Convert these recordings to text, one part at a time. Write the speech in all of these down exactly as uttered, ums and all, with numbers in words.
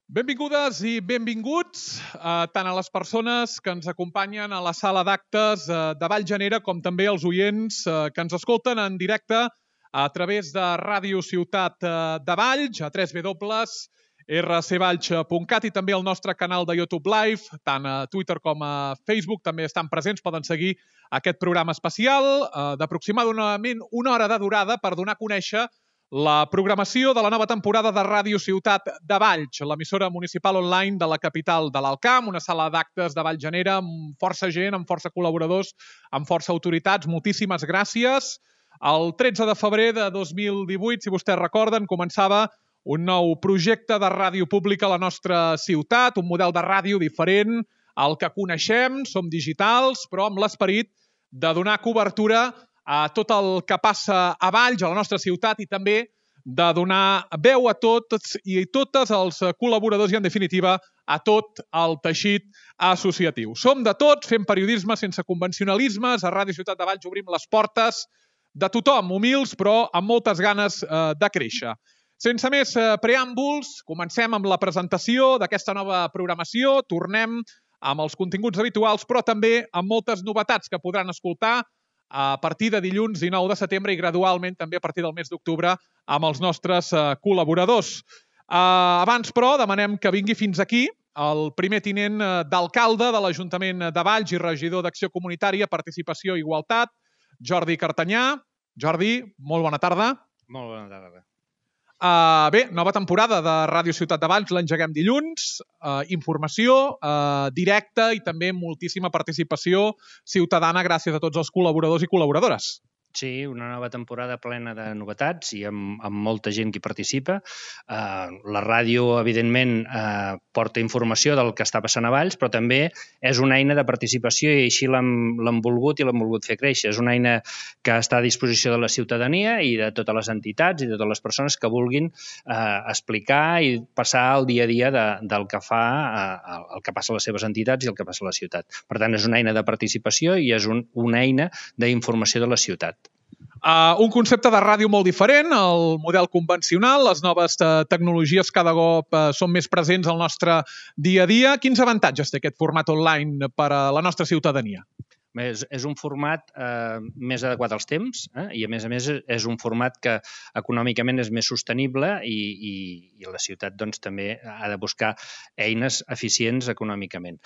Benvingudes i benvinguts eh, tant a les persones que ens acompanyen a la sala d'actes eh, de Vallgenera com també als oients eh, que ens escolten en directe a través de Ràdio Ciutat eh, de Valls, a w w w punt r c valls punt cat i també el nostre canal de YouTube Live, tant a Twitter com a Facebook també estan presents, poden seguir aquest programa especial eh, d'aproximadament una hora de durada per donar a conèixer la programació de la nova temporada de Ràdio Ciutat de Valls, l'emissora municipal online de la capital de l'Alt Camp, una sala d'actes de Vallgenera amb força gent, amb força col·laboradors, amb força autoritats. Moltíssimes gràcies. El tretze de febrer de dos mil divuit, si vostès recorden, començava un nou projecte de ràdio pública a la nostra ciutat, un model de ràdio diferent al que coneixem, som digitals, però amb l'esperit de donar cobertura a tot el que passa a Valls, a la nostra ciutat, i també de donar veu a tots i totes els col·laboradors i, en definitiva, a tot el teixit associatiu. Som de tots, fem periodisme sense convencionalismes. A Ràdio Ciutat de Valls obrim les portes de tothom, humils, però amb moltes ganes eh, de créixer. Sense més eh, preàmbuls, comencem amb la presentació d'aquesta nova programació. Tornem amb els continguts habituals, però també amb moltes novetats que podran escoltar a partir de dilluns dinou de setembre i gradualment també a partir del mes d'octubre amb els nostres uh, col·laboradors. Uh, abans, però, demanem que vingui fins aquí el primer tinent uh, d'alcalde de l'Ajuntament de Valls i regidor d'Acció Comunitària, Participació i Igualtat, Jordi Cartanyà. Jordi, molt bona tarda. Molt bona tarda. Uh, bé, nova temporada de Ràdio Ciutat de Valls, l'engeguem dilluns, uh, informació uh, directa i també moltíssima participació ciutadana gràcies a tots els col·laboradors i col·laboradores. Sí, una nova temporada plena de novetats i amb, amb molta gent que hi participa. Uh, la ràdio, evidentment, uh, porta informació del que està passant a Valls, però també és una eina de participació i així l'hem volgut i l'hem volgut fer créixer. És una eina que està a disposició de la ciutadania i de totes les entitats i de totes les persones que vulguin uh, explicar i passar el dia a dia de, del que fa, uh, el que passa a les seves entitats i el que passa a la ciutat. Per tant, és una eina de participació i és un, una eina d'informació de la ciutat. Uh, un concepte de ràdio molt diferent, el model convencional, les noves uh, tecnologies cada cop uh, són més presents al nostre dia a dia. Quins avantatges té aquest format online per a la nostra ciutadania? És, és un format eh, més adequat als temps eh? i, a més a més, és un format que econòmicament és més sostenible i, i, i la ciutat doncs, també ha de buscar eines eficients econòmicament.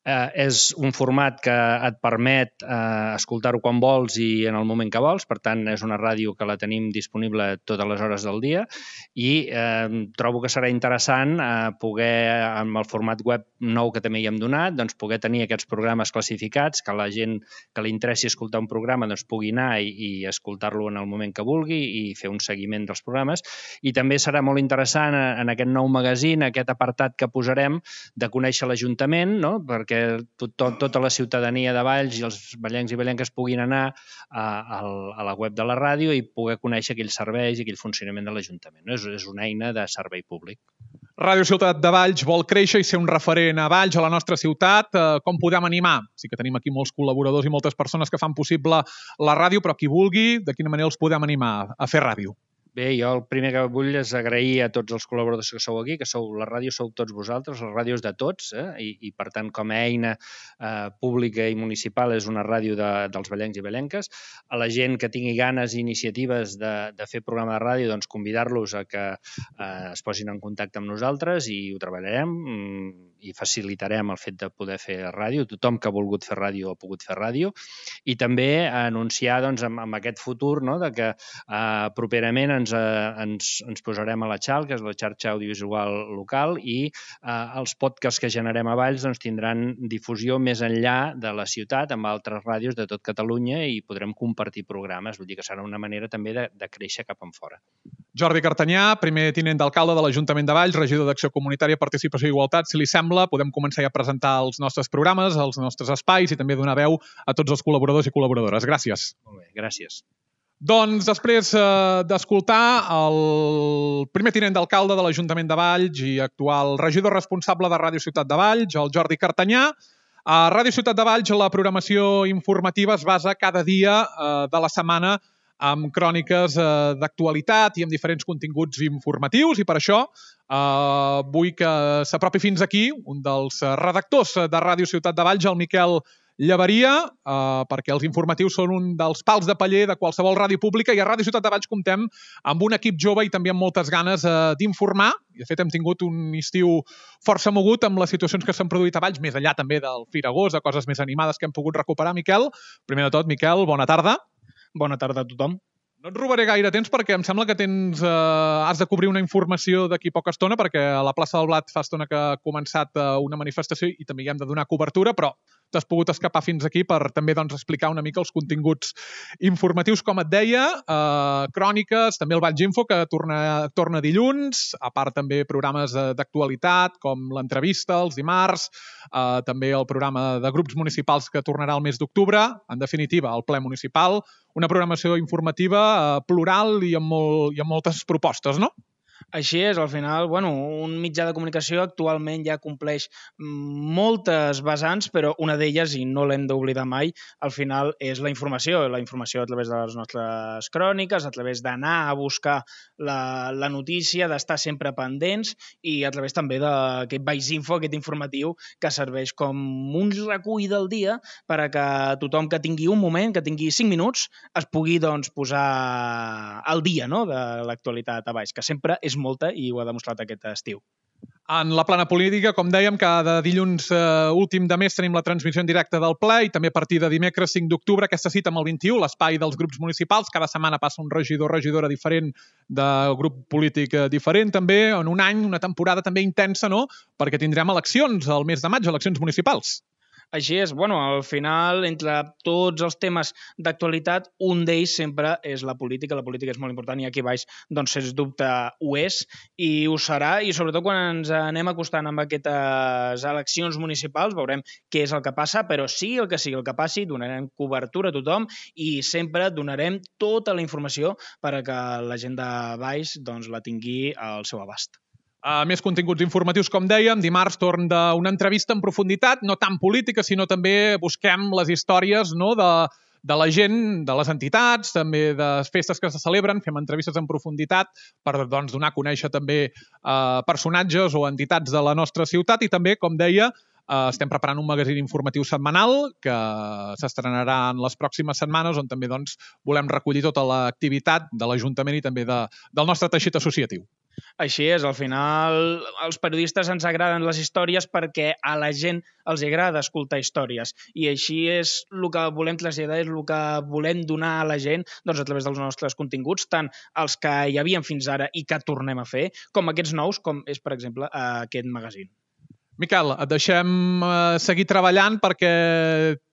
Eh, és un format que et permet eh, escoltar-ho quan vols i en el moment que vols, per tant, és una ràdio que la tenim disponible totes les hores del dia i eh, trobo que serà interessant eh, poder, amb el format web nou que també hi hem donat, doncs, poder tenir aquests programes classificats, que la gent que li interessi escoltar un programa doncs pugui anar i, i escoltar-lo en el moment que vulgui i fer un seguiment dels programes. I també serà molt interessant en aquest nou magazine, aquest apartat que posarem de conèixer l'Ajuntament, no? Perquè tot, tot, tota la ciutadania de Valls i els vallencs i vallenques puguin anar a, a, a la web de la ràdio i poder conèixer aquells serveis i aquell funcionament de l'Ajuntament. No? És, és una eina de servei públic. Ràdio Ciutat de Valls vol créixer i ser un referent a Valls, a la nostra ciutat. Com podem animar? Sí que tenim aquí molts col·laboradors i moltes persones que fan possible la ràdio, però qui vulgui, de quina manera els podem animar a fer ràdio? Bé, jo el primer que vull és agrair a tots els col·laboradors que sou aquí, que sou la ràdio sou tots vosaltres, la ràdio és de tots, eh? I, i per tant, com a eina eh, pública i municipal és una ràdio de, dels vallencs i vallenques. A la gent que tingui ganes i iniciatives de, de fer programa de ràdio, doncs convidar-los a que eh, es posin en contacte amb nosaltres i ho treballarem i facilitarem el fet de poder fer ràdio. Tothom que ha volgut fer ràdio ha pogut fer ràdio. I també anunciar doncs, amb, amb aquest futur no, de que eh, properament ens Ens, ens, ens posarem a la X A L, que és la xarxa audiovisual local, i eh, els podcasts que generem a Valls doncs, tindran difusió més enllà de la ciutat, amb altres ràdios de tot Catalunya i podrem compartir programes. Vull dir que serà una manera també de, de créixer cap en fora. Jordi Cartanyà, primer tinent d'alcalde de l'Ajuntament de Valls, regidor d'Acció Comunitària, Participació i Igualtat. Si li sembla, podem començar ja a presentar els nostres programes, els nostres espais i també donar veu a tots els col·laboradors i col·laboradores. Gràcies. Molt bé, gràcies. Doncs després eh, d'escoltar el primer tinent d'alcalde de l'Ajuntament de Valls i actual regidor responsable de Ràdio Ciutat de Valls, el Jordi Cartanyà, a Ràdio Ciutat de Valls la programació informativa es basa cada dia eh, de la setmana amb cròniques eh, d'actualitat i amb diferents continguts informatius, i per això eh, vull que s'apropi fins aquí un dels redactors de Ràdio Ciutat de Valls, el Miquel Llaveria, eh, perquè els informatius són un dels pals de paller de qualsevol ràdio pública, i a Ràdio Ciutat de Valls comptem amb un equip jove i també amb moltes ganes eh, d'informar. I de fet hem tingut un estiu força mogut amb les situacions que s'han produït a Valls, més enllà també del Firagós, de coses més animades que hem pogut recuperar. Miquel, primer de tot, Miquel, bona tarda. Bona tarda a tothom. No et robaré gaire temps perquè em sembla que tens, eh, has de cobrir una informació d'aquí poca estona, perquè a la plaça del Blat fa estona que ha començat eh, una manifestació i també hi hem de donar cobertura, però t'has pogut escapar fins aquí per també doncs, explicar una mica els continguts informatius, com et deia, eh, cròniques, també el Valls Info, que torna, torna dilluns, a part també programes d'actualitat, com l'entrevista els dimarts, eh, també el programa de grups municipals que tornarà el mes d'octubre, en definitiva, el ple municipal, una programació informativa eh, plural i amb, molt, i amb moltes propostes, no? Així és, al final, bueno, un mitjà de comunicació actualment ja compleix moltes vessants, però una d'elles, i no l'hem d'oblidar mai, al final és la informació. La informació a través de les nostres cròniques, a través d'anar a buscar la, la notícia, d'estar sempre pendents, i a través també d'aquest Valls Info, aquest informatiu, que serveix com un recull del dia per a que tothom que tingui un moment, que tingui cinc minuts, es pugui doncs, posar al dia, no?, de l'actualitat a Valls, que sempre és molta i ho ha demostrat aquest estiu. En la plana política, com dèiem, cada dilluns eh, últim de mes tenim la transmissió en directe del ple, i també a partir de dimecres cinc d'octubre aquesta cita amb el vint-i-u, l'espai dels grups municipals. Cada setmana passa un regidor o regidora diferent del grup polític diferent, també en un any, una temporada també intensa, no?, perquè tindrem eleccions al mes de maig, eleccions municipals. Així és, bueno, al final, entre tots els temes d'actualitat, un d'ells sempre és la política. La política és molt important i aquí baix, doncs, sens dubte, ho és i ho serà, i sobretot quan ens anem acostant amb aquestes eleccions municipals veurem què és el que passa, però sigui el que sigui el que passi, donarem cobertura a tothom i sempre donarem tota la informació per a que la gent de baix doncs, la tingui al seu abast. Uh, més continguts informatius, com dèiem. Dimarts torn d'una entrevista en profunditat, no tant política, sinó també busquem les històries, no?, de, de la gent, de les entitats, també de festes que se celebren, fem entrevistes en profunditat per doncs, donar a conèixer també uh, personatges o entitats de la nostra ciutat, i també, com deia, Uh, estem preparant un magazín informatiu setmanal que s'estrenarà en les pròximes setmanes, on també doncs, volem recollir tota l'activitat de l'Ajuntament i també de, del nostre teixit associatiu. Així és, al final els periodistes ens agraden les històries perquè a la gent els agrada escoltar històries, i així és el que volem traslladar, és el que volem donar a la gent doncs, a través dels nostres continguts, tant els que hi havien fins ara i que tornem a fer, com aquests nous, com és, per exemple, aquest magazín. Miquel, et deixem eh, seguir treballant perquè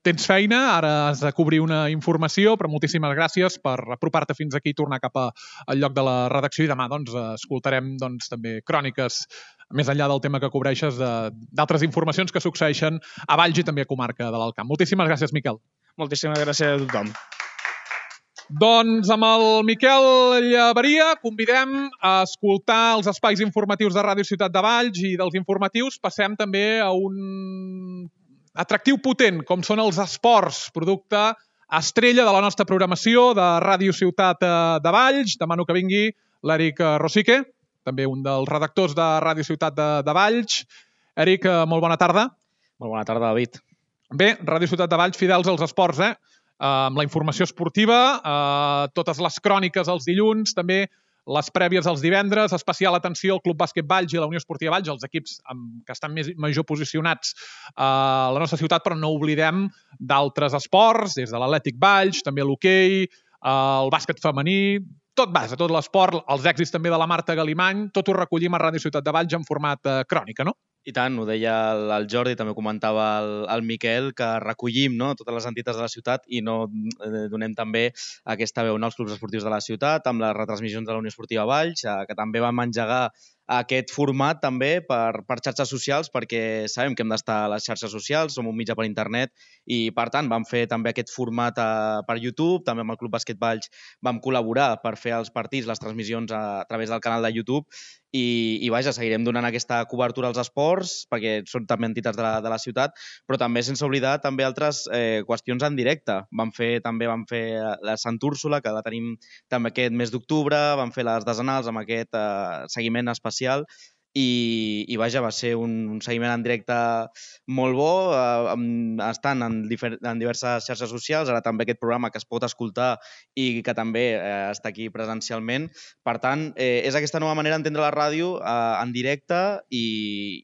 tens feina, ara has de cobrir una informació, però moltíssimes gràcies per apropar-te fins aquí i tornar cap a, al lloc de la redacció, i demà doncs, escoltarem doncs, també cròniques, més enllà del tema que cobreixes, d'altres informacions que succeeixen a Valls i també a comarca de l'Alt Camp. Moltíssimes gràcies, Miquel. Moltíssimes gràcies a tothom. Doncs amb el Miquel Llaveria convidem a escoltar els espais informatius de Ràdio Ciutat de Valls, i dels informatius passem també a un atractiu potent, com són els esports, producte estrella de la nostra programació de Ràdio Ciutat de Valls. Demano que vingui l'Eric Rosique, també un dels redactors de Ràdio Ciutat de, de Valls. Eric, molt bona tarda. Molt bona tarda, David. Bé, Ràdio Ciutat de Valls, fidels als esports, eh? Uh, amb la informació esportiva, uh, totes les cròniques els dilluns, també les prèvies els divendres, especial atenció al Club Bàsquet Valls i la Unió Esportiva Valls, els equips amb, que estan més, major posicionats uh, a la nostra ciutat, però no oblidem d'altres esports, des de l'Atlètic Valls, també l'hoquei, uh, el bàsquet femení, tot base, tot l'esport, els èxits també de la Marta Galimany, tot ho recollim a Ràdio Ciutat de Valls en format uh, crònica, no? I tant, ho deia el, el Jordi, també comentava el, el Miquel, que recollim, no?, totes les entitats de la ciutat i no eh, donem també aquesta veu, no?, als clubs esportius de la ciutat, amb les retransmissions de la Unió Esportiva Valls, eh, que també vam engegar aquest format també per, per xarxes socials, perquè sabem que hem d'estar a les xarxes socials, som un mitjà per internet i, per tant, vam fer també aquest format a, per YouTube, també amb el Club Bàsquet Valls vam col·laborar per fer els partits, les transmissions a, a través del canal de YouTube i, i vaja, seguirem donant aquesta cobertura als esports, perquè són també entitats de la, de la ciutat, però també sense oblidar també altres eh, qüestions en directe. Vam fer, també vam fer la Sant Úrsula, que la tenim també aquest mes d'octubre, vam fer les desenals amb aquest eh, seguiment especial i, i vaja, va ser un, un seguiment en directe molt bo, eh, amb, estant en, difer, en diverses xarxes socials, ara també aquest programa que es pot escoltar i que també eh, està aquí presencialment. Per tant, eh, és aquesta nova manera d'entendre la ràdio eh, en directe i,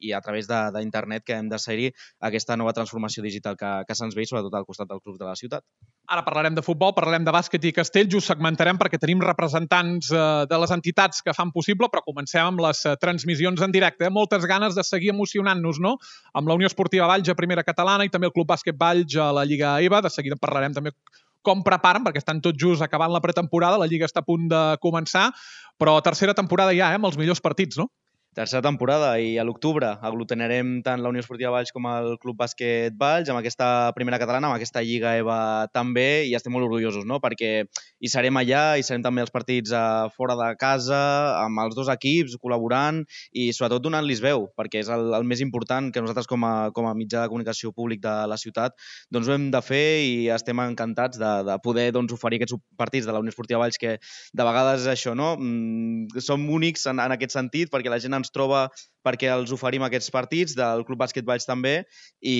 i a través d'internet que hem de ser-hi aquesta nova transformació digital que, que se'ns ve, sobretot al costat del club de la ciutat. Ara parlarem de futbol, parlarem de bàsquet i castells, ho segmentarem perquè tenim representants eh, de les entitats que fan possible, però comencem amb les eh, transmissions en directe. Eh? Moltes ganes de seguir emocionant-nos, no?, amb la Unió Esportiva Valls a Primera Catalana i també el Club Bàsquet Valls a la Lliga EVA. De seguida parlarem també com preparen, perquè estan tot just acabant la pretemporada, la Lliga està a punt de començar, però tercera temporada ja, eh, amb els millors partits, no? Tercera temporada i a l'octubre aglutinarem tant la Unió Esportiva Valls com el Club Bàsquet Valls amb aquesta Primera Catalana, amb aquesta Lliga EVA també, i estem molt orgullosos, no?, perquè hi serem allà, hi serem també els partits a fora de casa, amb els dos equips, col·laborant i sobretot donant-los veu, perquè és el, el més important que nosaltres com a, com a mitjà de comunicació públic de la ciutat doncs ho hem de fer i estem encantats de, de poder doncs, oferir aquests partits de la Unió Esportiva Valls que de vegades és això, no?, mm, som únics en, en aquest sentit perquè la gent ens troba perquè els oferim aquests partits del Club Bàsquet Valls també i,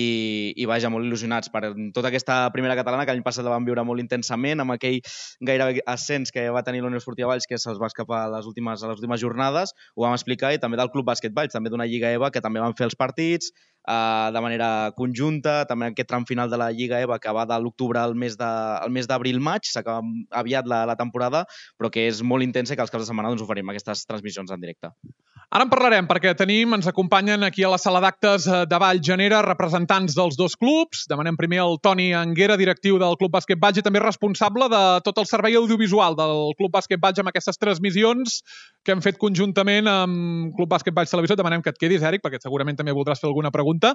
i vaja, molt il·lusionats per tota aquesta Primera Catalana que l'any passat la vam viure molt intensament amb aquell gairebé ascens que va tenir la Unió Esportiva Valls que se'ls va escapar a les últimes, a les últimes jornades, ho vam explicar, i també del Club Bàsquet Valls, també d'una Lliga EVA que també van fer els partits eh, de manera conjunta, també aquest tram final de la Lliga EVA que va de l'octubre al mes d'abril-maig, s'acaba aviat la, la temporada, però que és molt intensa i que els caps de setmana doncs, oferim aquestes transmissions en directe. Ara en parlarem, perquè tenim, ens acompanyen aquí a la sala d'actes de Vall Llanera representants dels dos clubs. Demanem primer el Toni Anguera, directiu del Club Bàsquet Valls i també responsable de tot el servei audiovisual del Club Bàsquet Valls amb aquestes transmissions que hem fet conjuntament amb Club Bàsquet Valls Televisió. Demanem que et quedis, Eric, perquè segurament també voldràs fer alguna pregunta.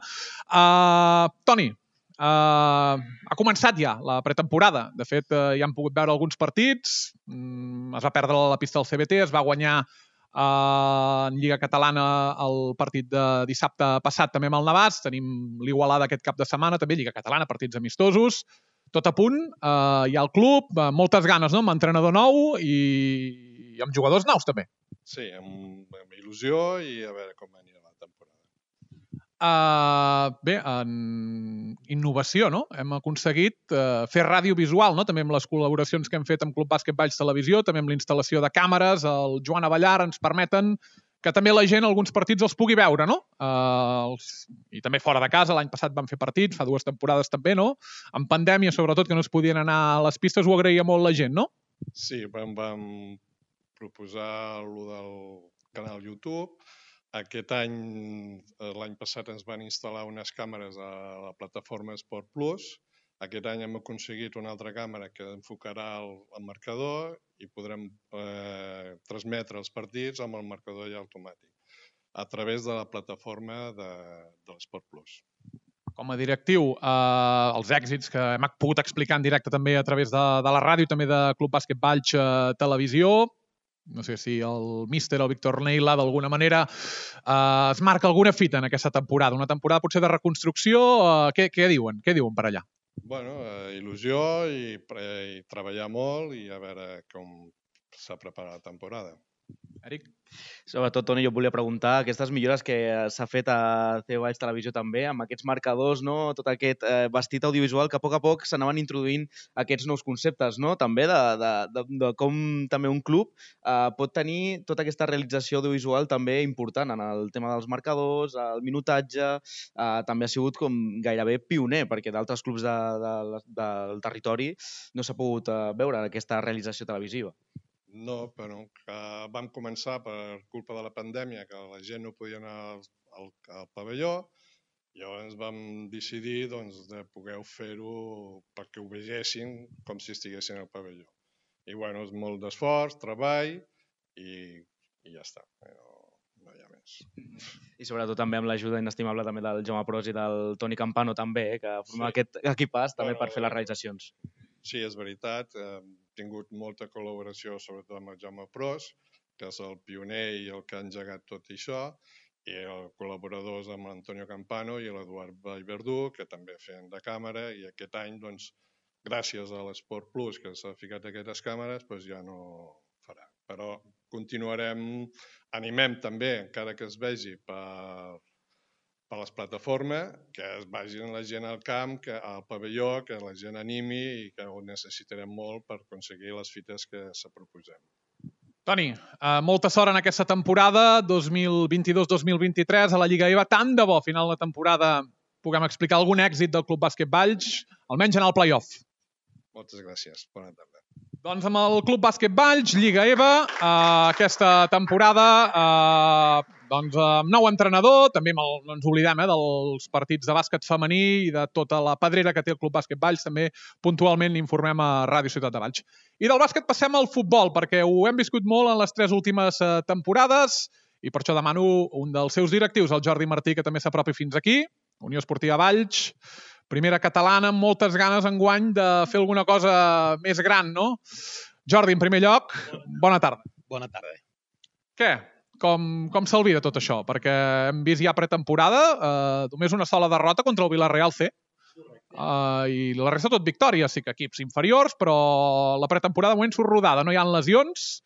Uh, Toni, Uh, ha començat ja la pretemporada. De fet, uh, ja han pogut veure alguns partits. Mm, es va perdre la pista del C B T, es va guanyar uh, en Lliga Catalana el partit de dissabte passat també amb el Navàs. Tenim l'Igualada aquest cap de setmana, també Lliga Catalana, partits amistosos. Tot a punt, uh, hi ha el club, uh, moltes ganes, no?, amb entrenador nou i, i amb jugadors nous també. Sí, amb, amb il·lusió i a veure com anirà la temporada. Uh, bé, en innovació, no? Hem aconseguit uh, fer ràdio visual, no?, també amb les col·laboracions que hem fet amb Club Bàsquet Valls Televisió, també amb l'instal·lació de càmeres, el Joan Avellar ens permeten que també la gent alguns partits els pugui veure, no? Uh, els... I també fora de casa, l'any passat vam fer partits, fa dues temporades també, no? En pandèmia, sobretot, que no es podien anar a les pistes, ho agraïa molt la gent, no? Sí, vam, vam proposar lo del canal YouTube. Aquest any, l'any passat, ens van instal·lar unes càmeres a la plataforma Esport Plus. Aquest any hem aconseguit una altra càmera que enfocarà el, el marcador i podrem eh, transmetre els partits amb el marcador ja automàtic a través de la plataforma de, de l'Esport Plus. Com a directiu, eh, els èxits que hem pogut explicar en directe també a través de, de la ràdio i també de Club Bàsquet Valls eh, Televisió. No sé si el míster, el Víctor Neila, d'alguna manera eh, es marca alguna fita en aquesta temporada. Una temporada potser de reconstrucció. Eh, què, què diuen? Què diuen per allà? Bueno, eh, il·lusió i, i treballar molt i a veure com s'ha preparat la temporada. Eric? Sobretot, Toni, jo volia preguntar aquestes millores que s'ha fet a C Valls Televisió també, amb aquests marcadors, no?, tot aquest eh, vestit audiovisual que a poc a poc s'anaven introduint aquests nous conceptes, no?, també de, de, de, de com també un club eh, pot tenir tota aquesta realització audiovisual també important en el tema dels marcadors, el minutatge, eh, també ha sigut com gairebé pioner, perquè d'altres clubs de, de, de, del territori no s'ha pogut eh, veure aquesta realització televisiva. No, però que vam començar per culpa de la pandèmia, que la gent no podia anar al, al, al pavelló, llavors vam decidir doncs, de poder fer-ho perquè ho vegessin com si estiguessin al pavelló. I bueno, és molt d'esforç, treball i, i ja està. No, no hi ha gràcies. I sobretot també amb l'ajuda inestimable també del Jaume Pros i del Toni Campano també, eh, que formem sí. aquest equipàs també bueno, per fer les realitzacions. Sí, és veritat. Hem tingut molta col·laboració, sobretot amb el Jaume Pros, que és el pioner i el que ha engegat tot això, i els col·laboradors amb l'Antonio Campano i l'Eduard Vallverdú, que també feien de càmera, i aquest any, doncs, gràcies a l'Esport Plus, que s'ha ficat aquestes càmeres, doncs ja no farà. Però continuarem, animem també, encara que es vegi per, per les plataformes, que es vagin la gent al camp, que al pavelló, que la gent animi i que ho necessitarem molt per aconseguir les fites que se proposem. Toni, eh, molta sort en aquesta temporada dos mil vint-i-dos dos mil vint-i-tres a la Lliga E V A. Tant de bo, a final de temporada, puguem explicar algun èxit del Club Bàsquet Valls, almenys en el play-off. Moltes gràcies. Bona tarda. Doncs amb el Club Bàsquet Valls, Lliga E V A, eh, aquesta temporada eh, doncs, amb nou entrenador, també el, no ens oblidem eh, dels partits de bàsquet femení i de tota la pedrera que té el Club Bàsquet Valls, també puntualment informem a Ràdio Ciutat de Valls. I del bàsquet passem al futbol, perquè ho hem viscut molt en les tres últimes eh, temporades i per això demano un dels seus directius, el Jordi Martí, que també s'apropi fins aquí, Unió Esportiva Valls, primera catalana amb moltes ganes enguany de fer alguna cosa més gran, no? Jordi, en primer lloc, bona tarda. Bona tarda. Què? Com, com s'alvida tot això? Perquè hem vist ja pretemporada, eh, només una sola derrota contra el Villarreal C. Eh, I la resta tot victòria, sí que equips inferiors, però la pretemporada de moment surt rodada, no hi ha lesions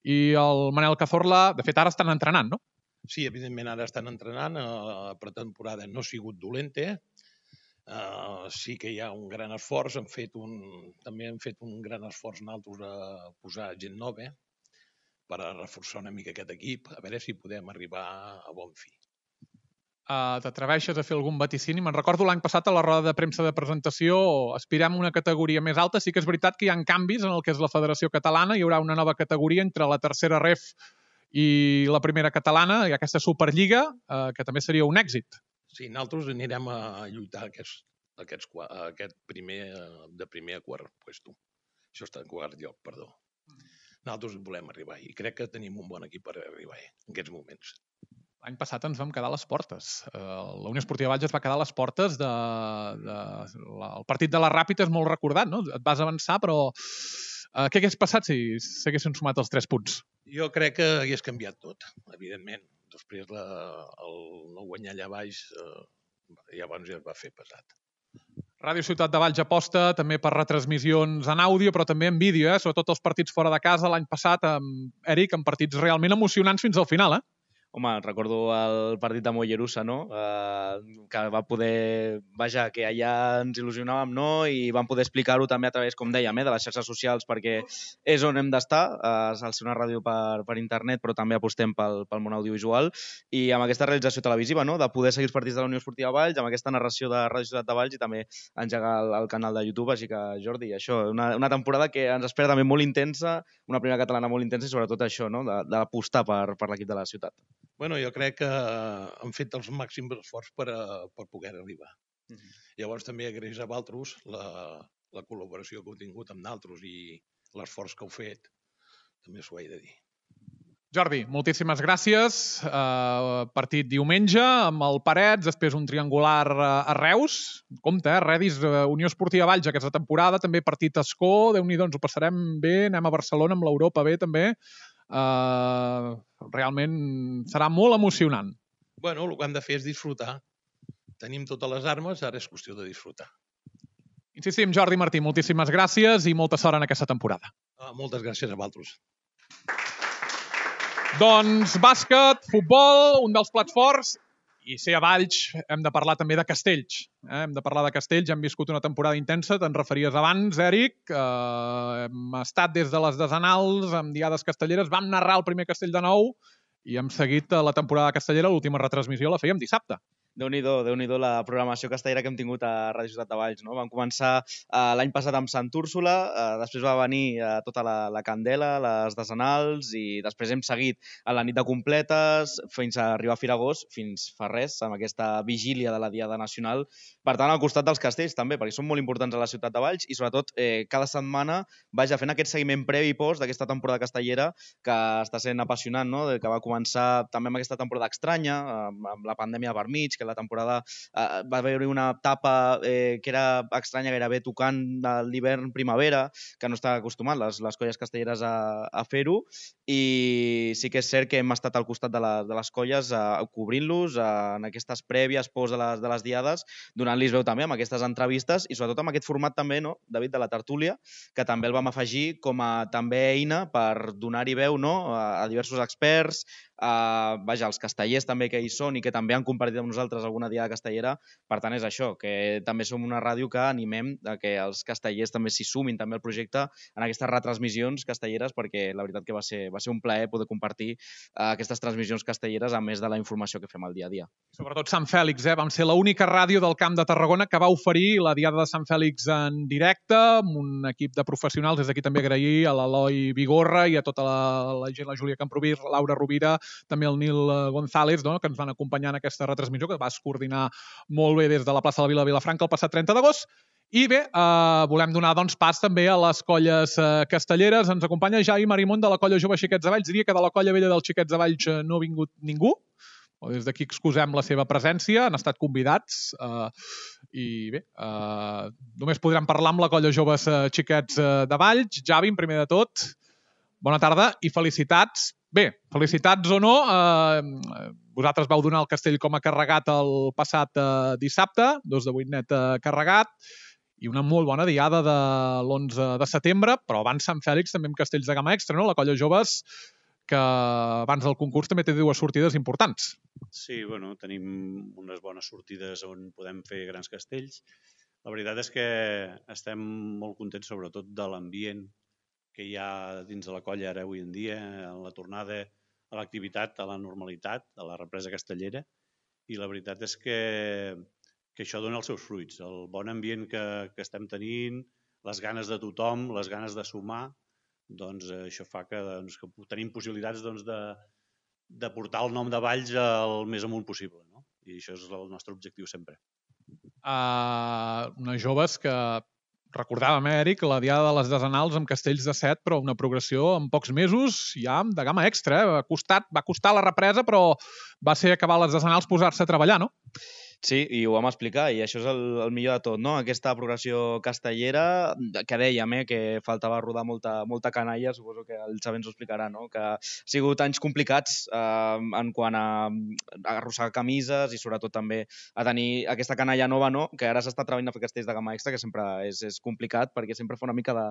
i el Manel Cazorla, de fet, ara estan entrenant, no? Sí, evidentment ara estan entrenant, la pretemporada no ha sigut dolenta, Uh, sí que hi ha un gran esforç, hem fet un, també hem fet un gran esforç nosaltres a posar gent nova per a reforçar una mica aquest equip, a veure si podem arribar a bon fi. Uh, T'atreveixes a fer algun vaticini? Me'n recordo l'any passat a la roda de premsa de presentació aspirem a una categoria més alta. Sí que és veritat que hi ha canvis en el que és la Federació Catalana, hi haurà una nova categoria entre la tercera ref i la primera catalana, i aquesta Superliga, uh, que també seria un èxit. Sí, nosaltres anirem a lluitar aquest, aquest, aquest primer, de primer a quart puesto. Això està en quart lloc, perdó. Nosaltres volem arribar i crec que tenim un bon equip per arribar en aquests moments. L'any passat ens vam quedar a les portes. La Unió Esportiva Valls es va quedar a les portes de, de la, el partit de la Ràpita és molt recordat, no? Et vas avançar, però uh, què hagués passat si s'haguessin sumat els tres punts? Jo crec que hagués canviat tot, evidentment. Després la, el no guanyar allà baix, eh, llavors ja es va fer pesat. Ràdio Ciutat de Valls aposta també per retransmissions en àudio, però també en vídeo, eh? Sobretot els partits fora de casa l'any passat, amb Eric, amb partits realment emocionants fins al final, eh? Home, recordo el partit de Mollerussa, no? Eh, que va poder... Vaja, que allà ens il·lusionàvem, no? I vam poder explicar-ho també a través, com dèiem, eh, de les xarxes socials, perquè és on hem d'estar, eh, al ser una ràdio per, per internet, però també apostem pel, pel món audiovisual. I amb aquesta realització televisiva, no? De poder seguir els partits de la Unió Esportiva Valls, amb aquesta narració de Ràdio Ciutat de Valls i també engegar el, el canal de YouTube. Així que, Jordi, això, una, una temporada que ens espera també molt intensa, una primera catalana molt intensa i sobretot això, no? D'apostar per, per l'equip de la ciutat. Bueno, jo crec que han fet els màxims esforços per, a, per poder arribar. Uh-huh. Llavors també agraeix a Valtros la, la col·laboració que heu tingut amb nosaltres i l'esforç que heu fet. També s'ho he de dir. Jordi, moltíssimes gràcies. Uh, partit diumenge amb el Parets, després un triangular a Reus. Compte, eh? Redis, uh, Unió Esportiva Valls aquesta temporada, també partit a Escó, Déu-n'hi-do, ens ho passarem bé, anem a Barcelona amb l'Europa bé també. Uh, realment serà molt emocionant. Bueno, el que hem de fer és disfrutar. Tenim totes les armes, ara és qüestió de disfrutar. Insistim, Jordi Martí, moltíssimes gràcies i molta sort en aquesta temporada. Uh, moltes gràcies a vosaltres. Doncs bàsquet, futbol, un dels plats forts, i ser a Valls hem de parlar també de Castells. Eh? Hem de parlar de Castells, hem viscut una temporada intensa, te'n referies abans, Eric. Eh, hem estat des de les desenals, amb diades castelleres, vam narrar el primer Castell de nou i hem seguit la temporada castellera, l'última retransmissió la fèiem dissabte. Déu-n'hi-do, Déu-n'hi-do la programació castellera que hem tingut a Ràdio Ciutat de Valls, no? Vam començar uh, l'any passat amb Sant Úrsula, uh, després va venir uh, tota la, la Candela, les decenals, i després hem seguit a la nit de completes fins a arribar a Firagós, fins fa res, amb aquesta vigília de la Diada Nacional. Per tant, al costat dels castells també, perquè són molt importants a la Ciutat de Valls i sobretot eh, cada setmana vaja fent aquest seguiment previ i post d'aquesta temporada castellera que està sent apassionant, no? Que va començar també amb aquesta temporada estranya, amb la pandèmia per mig, que la temporada eh, va haver una etapa eh, que era estranya, gairebé tocant l'hivern-primavera, que no està acostumat les, les colles castelleres a, a fer-ho, i sí que és cert que hem estat al costat de, la, de les colles eh, cobrint-los eh, en aquestes prèvies, post de les, de les diades, donant-los veu també amb aquestes entrevistes i sobretot amb aquest format també, no, David, de la tertúlia, que també el vam afegir com a també eina per donar-hi veu, no, a, a diversos experts, Uh, vaja, els castellers també que hi són i que també han compartit amb nosaltres alguna diada castellera. Per tant, és això, que també som una ràdio que animem a que els castellers també s'hi sumin també al projecte en aquestes retransmissions castelleres, perquè la veritat que va ser, va ser un plaer poder compartir uh, aquestes transmissions castelleres a més de la informació que fem al dia a dia. Sobretot Sant Fèlix, eh? Vam ser l'única ràdio del Camp de Tarragona que va oferir la Diada de Sant Fèlix en directe, amb un equip de professionals. Des d'aquí també agrair a l'Eloi Vigorra i a tota la, la gent, la Júlia Camprovir, Laura Rovira, també el Nil González, no?, que ens van acompanyar en aquesta retransmissió, que vas coordinar molt bé des de la plaça de la Vila de Vilafranca el passat trenta d'agost. I bé, eh, volem donar doncs, pas també a les colles eh, castelleres. Ens acompanya Javi Marimón de la colla Jove Xiquets de Valls. Diria que de la colla vella dels Xiquets de Valls eh, no ha vingut ningú. Des d'aquí excusem la seva presència, han estat convidats eh, i bé, eh, només podrem parlar amb la colla Joves eh, Xiquets eh, de Valls. Javi, en primer de tot, bona tarda i felicitats. Bé, felicitats o no, eh, vosaltres vau donar el castell com a carregat el passat eh, dissabte, dos de vuit net eh, carregat, i una molt bona diada de l'onze de setembre, però abans Sant Fèlix també amb castells de gamma extra, no? La colla Joves, que abans del concurs també té dues sortides importants. Sí, bueno, tenim unes bones sortides on podem fer grans castells. La veritat és que estem molt contents sobretot de l'ambient que hi ha dins de la colla ara avui en dia, en la tornada a l'activitat, a la normalitat, a la represa castellera, i la veritat és que, que això dona els seus fruits. El bon ambient que, que estem tenint, les ganes de tothom, les ganes de sumar, doncs això fa que, doncs, que tenim possibilitats doncs, de, de portar el nom de Valls el més amunt possible, no? I això és el nostre objectiu sempre. Uh, unes joves que recordàvem, eh, Eric, la Diada de les Desenals amb castells de set, però una progressió en pocs mesos ja de gamma extra. Eh? Va, costat, va costar la represa, però va ser acabar les Desenals posar-se a treballar, no? Sí, i ho vam explicar, i això és el, el millor de tot, no? Aquesta progressió castellera, que dèiem, eh, que faltava rodar molta, molta canalla, suposo que el Xavi ens ho explicarà, no? Que ha sigut anys complicats eh, en quant a, a arrossegar camises i sobretot també a tenir aquesta canalla nova, no? Que ara s'està treballant a fer castells de gamma extra, que sempre és, és complicat perquè sempre fa una mica de,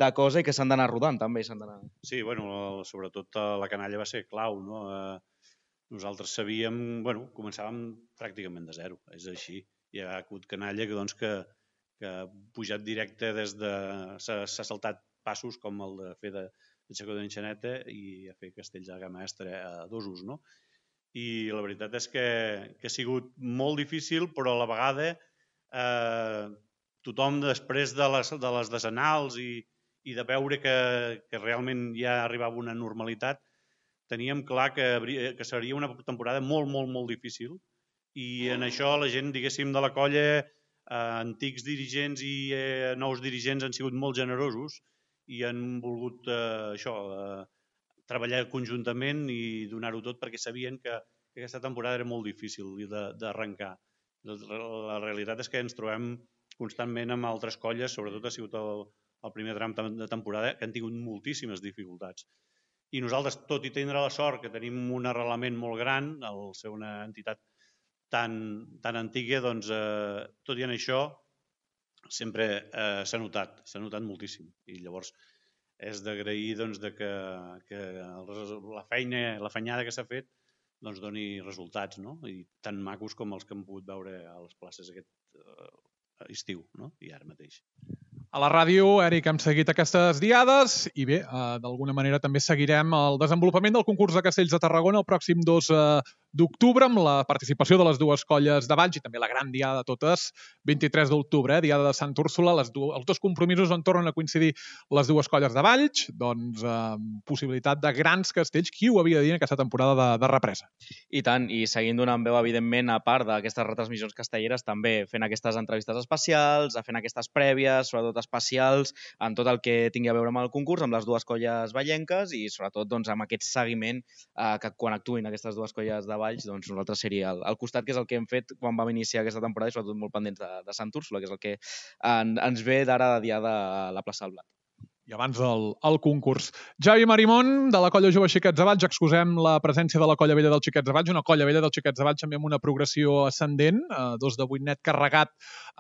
de cosa i que s'han d'anar rodant també. S'han d'anar... Sí, bueno, sobretot la canalla va ser clau, no? Eh, Nosaltres sabíem, bueno, començàvem pràcticament de zero, és així. Hi ha hagut canalla que, doncs, que, que ha pujat directe des de... S'ha saltat passos com el de fer de, de xacó d'enxaneta i a fer castells de gamma extra a dosos, no? I la veritat és que, que ha sigut molt difícil, però a la vegada eh, tothom després de les, de les decenals i, i de veure que, que realment ja arribava una normalitat, teníem clar que, que seria una temporada molt, molt, molt difícil i en això la gent, diguéssim, de la colla, eh, antics dirigents i eh, nous dirigents han sigut molt generosos i han volgut eh, això, eh, treballar conjuntament i donar-ho tot perquè sabien que, que aquesta temporada era molt difícil d'arrencar. La, la realitat és que ens trobem constantment amb altres colles, sobretot ha sigut el, el primer tram de temporada, que han tingut moltíssimes dificultats. I nosaltres, tot i tindre la sort que tenim un arrelament molt gran, al ser una entitat tan, tan antiga, doncs, eh, tot i en això, sempre eh, s'ha notat, s'ha notat moltíssim. I llavors és d'agrair doncs, de que, que la feina, la fenyada que s'ha fet doncs, doni resultats, no? I tan macos com els que hem pogut veure a les places aquest eh, estiu, no? I ara mateix. A la ràdio, Eric, hem seguit aquestes diades i bé, eh, d'alguna manera també seguirem el desenvolupament del concurs de castells de Tarragona el pròxim dos d'octubre, amb la participació de les dues colles de Valls i també la gran diada de totes, vint-i-tres d'octubre, eh, diada de Sant Úrsula, les du els dos compromisos on tornen a coincidir les dues colles de Valls, doncs eh, possibilitat de grans castells. Qui ho havia de dir en aquesta temporada de, de represa? I tant, i seguint donant veu, evidentment, a part d'aquestes retransmissions castelleres, també fent aquestes entrevistes especials, fent aquestes prèvies, sobretot especials, en tot el que tingui a veure amb el concurs, amb les dues colles vallenques i, sobretot, doncs, amb aquest seguiment eh, que quan actuïn aquestes dues colles de Valls, doncs nosaltres seria el, el costat, que és el que hem fet quan vam iniciar aquesta temporada i sobretot molt pendents de, de Sant Úrsula, que és el que en, ens ve d'ara de diada a la plaça del Blat. I abans el, el concurs. Javi Marimón, de la colla jove Xiquets de Valls, excusem la presència de la colla vella del Xiquets de Valls, una colla vella del Xiquets de Valls també amb una progressió ascendent, eh, dos de vuit net carregat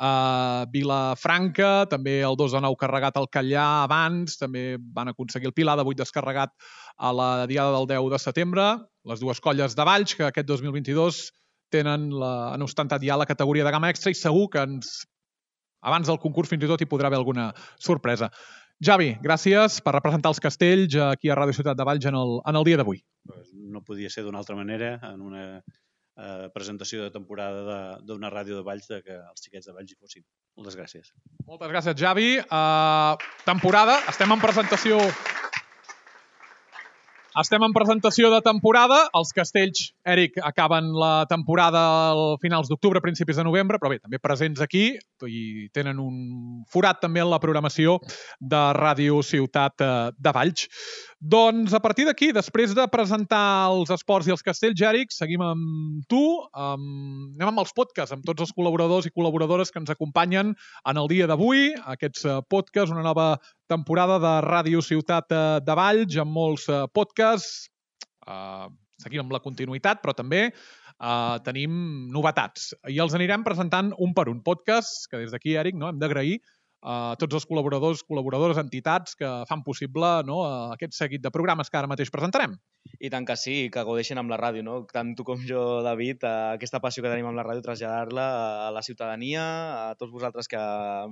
a Vilafranca, també el dos de nou carregat al Catllà abans, també van aconseguir el Pilar de vuit descarregat a la diada del deu de setembre, les dues colles de Valls, que aquest dos mil vint-i-dos tenen, la, han ostentat ja la categoria de gamma extra i segur que ens, abans del concurs fins i tot hi podrà haver alguna sorpresa. Javi, gràcies per representar els castells aquí a Ràdio Ciutat de Valls en el, en el dia d'avui. No podia ser d'una altra manera en una eh, presentació de temporada d'una ràdio de Valls de que els xiquets de Valls hi fossin. Moltes gràcies. Moltes gràcies, Javi. Uh, temporada, estem en presentació... Estem en presentació de temporada. Els castells, Eric, acaben la temporada a finals d'octubre, principis de novembre, però bé, també presents aquí i tenen un forat també en la programació de Ràdio Ciutat de Valls. Doncs a partir d'aquí, després de presentar els esports i els castells, Eric, seguim amb tu. Um, anem amb els podcasts, amb tots els col·laboradors i col·laboradores que ens acompanyen en el dia d'avui. Aquests podcasts, una nova temporada de Ràdio Ciutat de Valls, amb molts podcasts. Uh, seguim amb la continuïtat, però també uh, tenim novetats. I els anirem presentant un per un. Podcast que des d'aquí, Eric, no, hem d'agrair a tots els col·laboradors, col·laboradores, entitats que fan possible, no, aquest seguit de programes que ara mateix presentarem. I tant que sí, que gaudeixin amb la ràdio, no? Tant tu com jo, David, aquesta passió que tenim amb la ràdio, traslladar-la a la ciutadania, a tots vosaltres que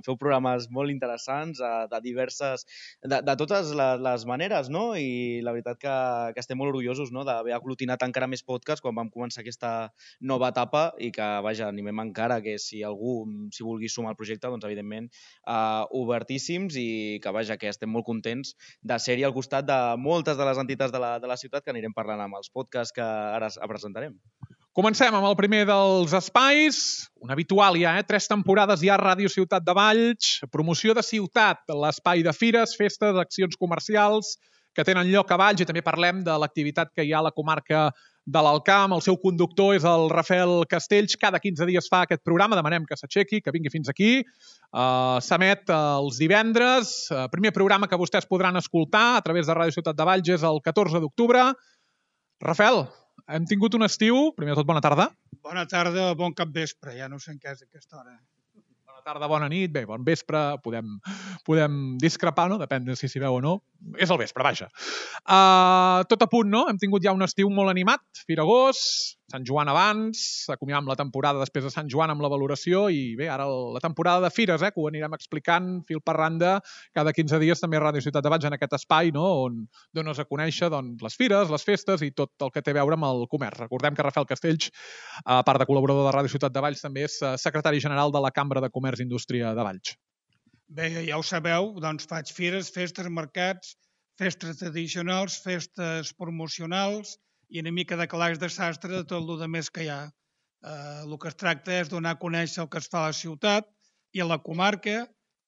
feu programes molt interessants, de diverses, de, de totes les, les maneres, no? I la veritat que, que estem molt orgullosos, no?, d'haver aglutinat encara més podcasts quan vam començar aquesta nova etapa i que, vaja, animem encara que si algú s'hi vulgui sumar al projecte, doncs, evidentment, uh, obertíssims i que, vaja, que estem molt contents de ser-hi al costat de moltes de les entitats de la, de la ciutat que anirem parlant amb els podcasts que ara presentarem. Comencem amb el primer dels espais, un habitual ja, eh? Tres temporades ja a Ràdio Ciutat de Valls, promoció de ciutat, l'espai de fires, festes, accions comercials que tenen lloc a Valls i també parlem de l'activitat que hi ha a la comarca de l'Alt Camp. El seu conductor és el Rafael Castells. Cada quinze dies fa aquest programa. Demanem que s'aixequi, que vingui fins aquí. Uh, S'emet els divendres. Uh, primer programa que vostès podran escoltar a través de Ràdio Ciutat de Valls és el catorze d'octubre. Rafael, hem tingut un estiu. Primer de tot, bona tarda. Bona tarda, bon capvespre. Ja no sé en què és aquesta hora. Bona tarda, bona nit, bé, bon vespre. Podem, podem discrepar, no? Depèn de si s'hi veu o no. És el vespre, vaja. Uh, tot a punt, no? Hem tingut ja un estiu molt animat. Firagós, Sant Joan abans, acomiadam la temporada després de Sant Joan amb la valoració i bé, ara la temporada de fires, eh, que ho anirem explicant fil per randa cada quinze dies també a Ràdio Ciutat de Valls en aquest espai, no?, on dones a conèixer doncs, les fires, les festes i tot el que té a veure amb el comerç. Recordem que Rafael Castells, a part de col·laborador de Ràdio Ciutat de Valls, també és secretari general de la Cambra de Comerç i Indústria de Valls. Bé, ja ho sabeu, doncs faig fires, festes, mercats, festes tradicionals, festes promocionals i una mica de calaix de sastre de tot el més que hi ha. Eh, el que es tracta és donar a conèixer el que es fa a la ciutat i a la comarca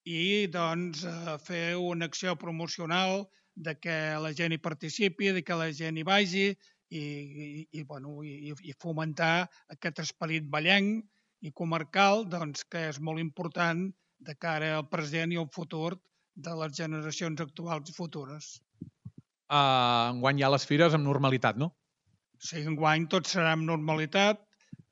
i doncs, eh, fer una acció promocional de que la gent hi participi, de que la gent hi vagi i, i, i, bueno, i, i fomentar aquest esperit vallenc i comarcal doncs, que és molt important de cara al present i al futur de les generacions actuals i futures. Uh, enguany hi ha les fires amb normalitat, no? Sí, enguany tot serà amb normalitat.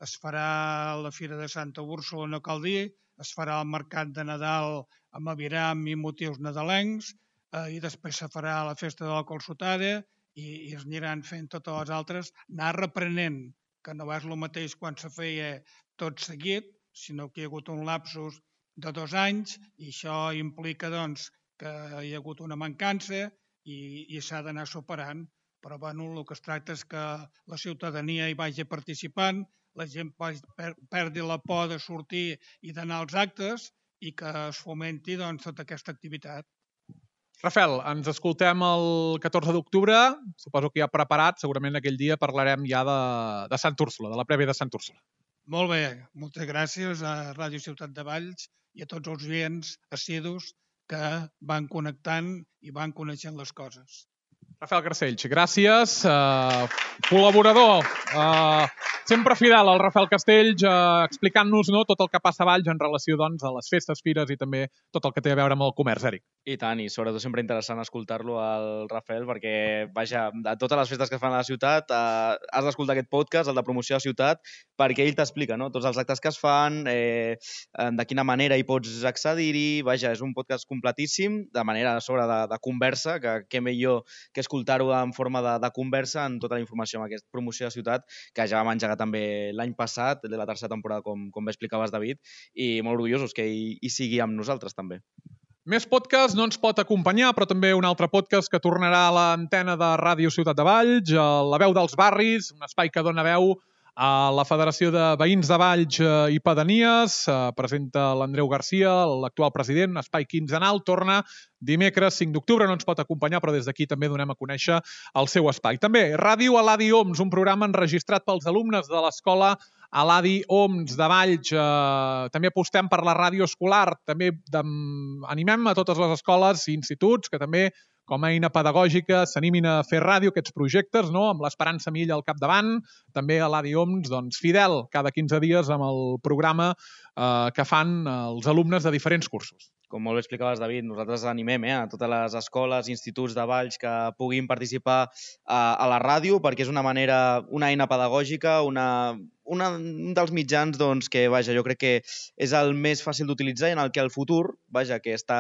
Es farà la Fira de Santa Úrsula, no cal dir, es farà el Mercat de Nadal amb aviram i motius nadalencs, eh, i després se farà la Festa de la Colsotada i, i es aniran fent totes les altres, anar reprenent, que no és el mateix quan se feia tot seguit, sinó que hi ha hagut un lapsus de dos anys i això implica doncs, que hi ha hagut una mancança i, i s'ha d'anar superant. però bueno, el que es tracta és que la ciutadania hi vagi participant, la gent perdi la por de sortir i d'anar als actes i que es fomenti doncs, tota aquesta activitat. Rafael, ens escoltem el catorze d'octubre, suposo que ja preparat, segurament aquell dia parlarem ja de, de Sant Úrsula, de la prèvia de Sant Úrsula. Molt bé, moltes gràcies a Ràdio Ciutat de Valls i a tots els oients assidus que van connectant i van coneixent les coses. Rafael Garcells, gràcies. Uh, col·laborador, uh, sempre fidel al Rafael Castells, uh, explicant-nos no, tot el que passa a Valls en relació doncs, a les festes, fires i també tot el que té a veure amb el comerç, Eric. I tant, i sobretot sempre interessant escoltar-lo al Rafael perquè, vaja, de totes les festes que es fan a la ciutat eh, has d'escoltar aquest podcast, el de promoció de la ciutat, perquè ell t'explica no? Tots els actes que es fan, eh, de quina manera hi pots accedir-hi, vaja, és un podcast completíssim, de manera a sobre de, de conversa, que què millor que escoltar-ho en forma de, de conversa en tota la informació amb aquesta promoció de la ciutat, que ja vam engegar també l'any passat, de la tercera temporada, com, com bé explicaves, David, i molt orgullosos que hi, hi sigui amb nosaltres també. Més podcast no ens pot acompanyar, però també un altre podcast que tornarà a l'antena de Ràdio Ciutat de Valls, La veu dels barris, un espai que dona veu a la Federació de Veïns de Valls i Pedanies. Presenta l'Andreu Garcia, l'actual president, un espai quinzenal. Torna dimecres cinc d'octubre, no ens pot acompanyar, però des d'aquí també donem a conèixer el seu espai. També Ràdio Eladi Oms, un programa enregistrat pels alumnes de l'escola Eladi Oms de Valls. Eh, també apostem per la ràdio escolar. També animem a totes les escoles i instituts que també, com a eina pedagògica, s'animin a fer ràdio, aquests projectes, no? Amb l'Esperança Milla al capdavant. També Eladi Oms, doncs, fidel cada quinze dies amb el programa eh, que fan els alumnes de diferents cursos. Com molt bé explicaves, David, nosaltres animem eh, a totes les escoles, instituts de Valls que puguin participar a, a la ràdio perquè és una manera, una eina pedagògica, una, una, un dels mitjans doncs, que vaja, jo crec que és el més fàcil d'utilitzar i en el que el futur, vaja, que està,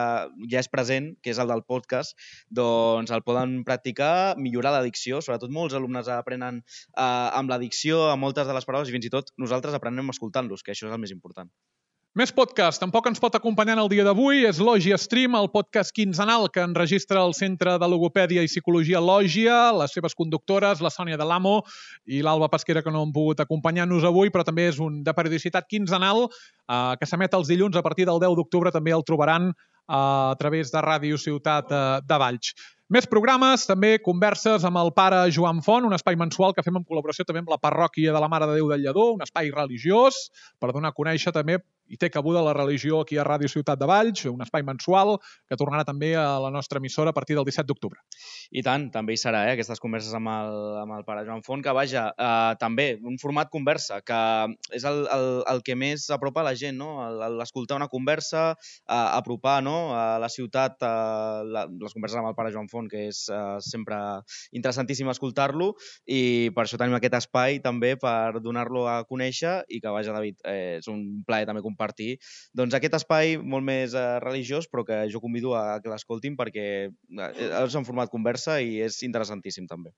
ja és present, que és el del podcast, doncs el poden practicar, millorar la dicció, sobretot molts alumnes aprenen eh, amb la dicció, a moltes de les paraules i fins i tot nosaltres aprenem escoltant-los, que això és el més important. Més podcast. Tampoc ens pot acompanyar en el dia d'avui. És Lògia Stream, el podcast quinzenal que enregistra el Centre de Logopèdia i Psicologia Lògia, les seves conductores, la Sònia de l'Amo i l'Alba Pesquera, que no han pogut acompanyar-nos avui, però també és un de periodicitat quinzenal eh, que s'emet els dilluns a partir del deu d'octubre. També el trobaran eh, a través de Ràdio Ciutat eh, de Valls. Més programes, també converses amb el pare Joan Font, un espai mensual que fem en col·laboració també amb la parròquia de la Mare de Déu del Lledó, un espai religiós per donar a conèixer també i té cabuda la religió aquí a Ràdio Ciutat de Valls, un espai mensual que tornarà també a la nostra emissora a partir del disset d'octubre. I tant, també hi serà, eh, aquestes converses amb el, amb el pare Joan Font, que vaja, eh, també un format conversa, que és el, el, el que més apropa a la gent, no? L'escoltar una conversa, eh, apropar no? a la ciutat, eh, la, les converses amb el pare Joan Font, que és eh, sempre interessantíssim escoltar-lo, i per això tenim aquest espai també per donar-lo a conèixer i que, vaja, David, eh, és un plaer també compartir doncs aquest espai molt més eh, religiós, però que jo convido a que l'escoltin perquè és un format conversa i és interessantíssim també.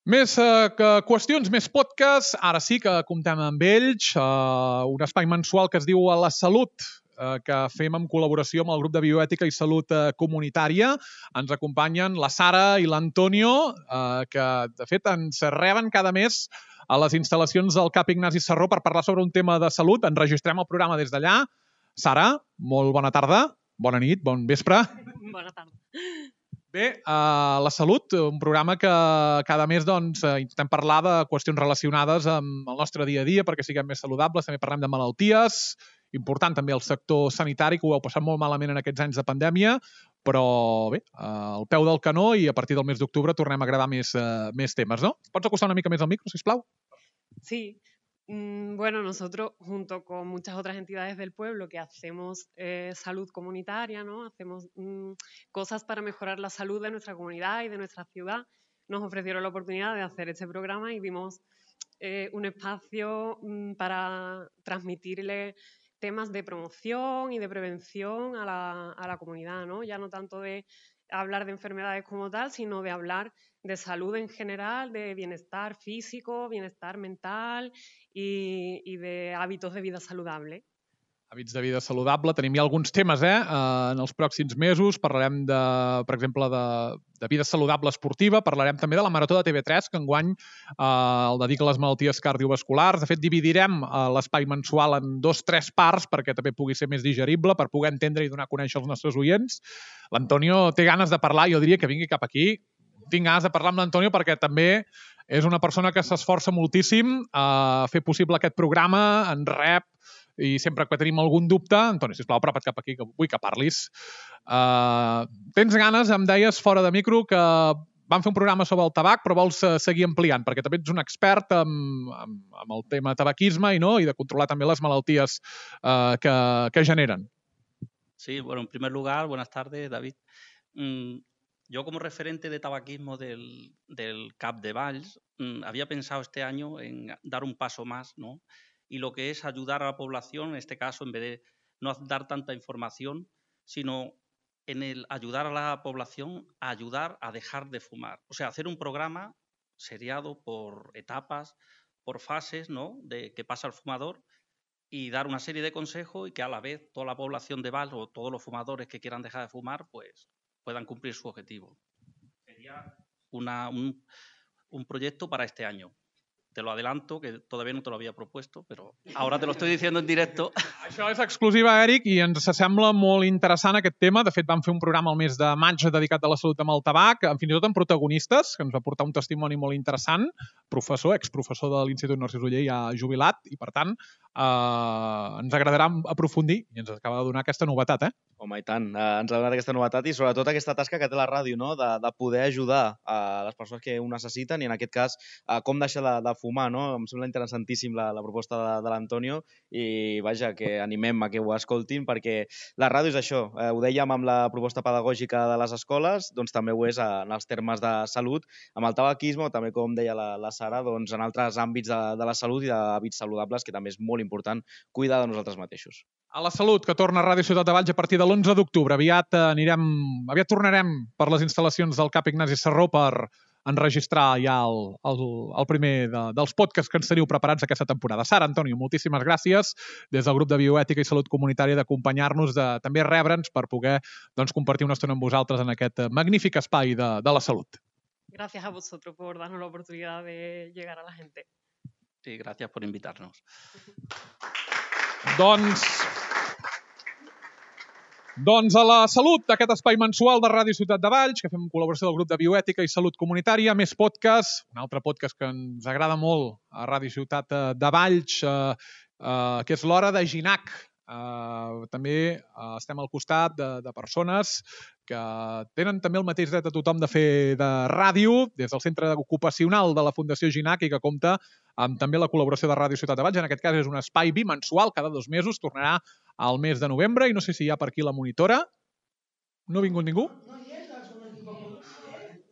Més eh, que qüestions, més podcast, ara sí que comptem amb ells, eh, un espai mensual que es diu A la Salut, eh, que fem en col·laboració amb el grup de bioètica i salut eh, comunitària. Ens acompanyen la Sara i l'Antonio, eh, que de fet ens reben cada mes a les instal·lacions del CAP Ignasi Sarró per parlar sobre un tema de salut. Enregistrem el programa des d'allà. Sara, molt bona tarda, bona nit, bon vespre. Bona tarda. Bé, uh, La Salut, un programa que cada mes doncs, intentem parlar de qüestions relacionades amb el nostre dia a dia perquè siguem més saludables, també parlem de malalties, important també el sector sanitari, que ho heu passat molt malament en aquests anys de pandèmia, però bé, al peu del canó i a partir del mes d'octubre tornem a gravar més, uh, més temes, no? Pots acostar una mica més al micro, sisplau? Sí. Mm, bueno, nosotros, junto con muchas otras entidades del pueblo que hacemos eh, salud comunitaria, ¿no? Hacemos mm, cosas para mejorar la salud de nuestra comunidad y de nuestra ciudad, nos ofrecieron la oportunidad de hacer este programa y vimos eh, un espacio mm, para transmitirle temas de promoción y de prevención a la, a la comunidad, ¿no? Ya no tanto de hablar de enfermedades como tal, sino de hablar de salud en general, de bienestar físico, bienestar mental y, y de hábitos de vida saludable. Hàbits de vida saludable. Tenim ja alguns temes, eh? En els pròxims mesos parlarem, de, per exemple, de, de vida saludable esportiva. Parlarem també de la Marató de T V tres, que enguany eh, el dedica a les malalties cardiovasculars. De fet, dividirem eh, l'espai mensual en dos, tres parts perquè també pugui ser més digerible, per poder entendre i donar a conèixer els nostres oients. L'Antonio té ganes de parlar, jo diria que vingui cap aquí. Tinc ganes de parlar amb l'Antonio perquè també és una persona que s'esforça moltíssim a fer possible aquest programa, en rep, i sempre que tenim algun dubte, Antoni, sisplau, apropa't cap aquí, que vull que parlis. Uh, tens ganes, em deies fora de micro, que vam fer un programa sobre el tabac, però vols uh, seguir ampliant, perquè també ets un expert en, en, en el tema tabaquisme i, no, i de controlar també les malalties uh, que, que generen. Sí, bueno, en primer lugar, buenas tardes, David. Mm, yo como referente de tabaquismo del, del C A P de Valls, mm, había pensado este año en dar un paso más, ¿no? Y lo que es ayudar a la población, en este caso, en vez de no dar tanta información, sino en el ayudar a la población a ayudar a dejar de fumar. O sea, hacer un programa seriado por etapas, por fases, ¿no?, de que pasa el fumador, y dar una serie de consejos y que a la vez toda la población de Valls o todos los fumadores que quieran dejar de fumar pues puedan cumplir su objetivo. Sería una, un, un proyecto para este año. Te lo adelanto, que todavía no te lo había propuesto, però ara te lo estoy diciendo en directo. Això és exclusiva, Eric, i ens sembla molt interessant aquest tema. De fet, vam fer un programa al mes de maig dedicat a la salut amb el tabac, fins i tot amb protagonistes, que ens va portar un testimoni molt interessant, professor, exprofessor de l'Institut Narcís Oller, ja jubilat, i per tant eh, ens agradarà aprofundir, i ens acaba de donar aquesta novetat, eh? Home, i tant. Eh, ens ha donat aquesta novetat i sobretot aquesta tasca que té la ràdio, no?, de, de poder ajudar a les persones que ho necessiten i en aquest cas a com deixar de, de fumar, no? Em sembla interessantíssim la, la proposta de, de l'Antonio i vaja, que animem a que ho escoltin perquè la ràdio és això. Eh, ho dèiem amb la proposta pedagògica de les escoles, doncs també ho és en els termes de salut, amb el tabaquisme o també, com deia la, la Sara, doncs en altres àmbits de, de la salut i d'hàbits saludables, que també és molt important cuidar de nosaltres mateixos. A la salut, que torna a Ràdio Ciutat de Valls a partir de l'onze d'octubre. Aviat anirem, aviat tornarem per les instal·lacions del C A P Ignasi Sarró per enregistrar ja el, el, el primer de, dels podcasts que ens teniu preparats aquesta temporada. Sara, Antonio, moltíssimes gràcies des del grup de Bioètica i Salut Comunitària d'acompanyar-nos, de també rebre'ns per poder doncs, compartir una estona amb vosaltres en aquest magnífic espai de, de la salut. Gracias a vosotros por darnos la oportunidad de llegar a la gente. Sí, gracias por invitarnos. Doncs... Doncs a la salut, aquest espai mensual de Ràdio Ciutat de Valls, que fem en col·laboració del grup de Bioètica i Salut Comunitària, més podcast, un altre podcast que ens agrada molt a Ràdio Ciutat de Valls, eh, eh, que és l'Hora de Ginac. Uh, també uh, estem al costat de, de persones que tenen també el mateix dret a tothom de fer de ràdio, des del centre ocupacional de la Fundació Ginac i que compta amb també la col·laboració de Ràdio Ciutat de Valls. En aquest cas és un espai bimensual, cada dos mesos, tornarà al mes de novembre i no sé si hi ha per aquí la monitora. No ha vingut ningú?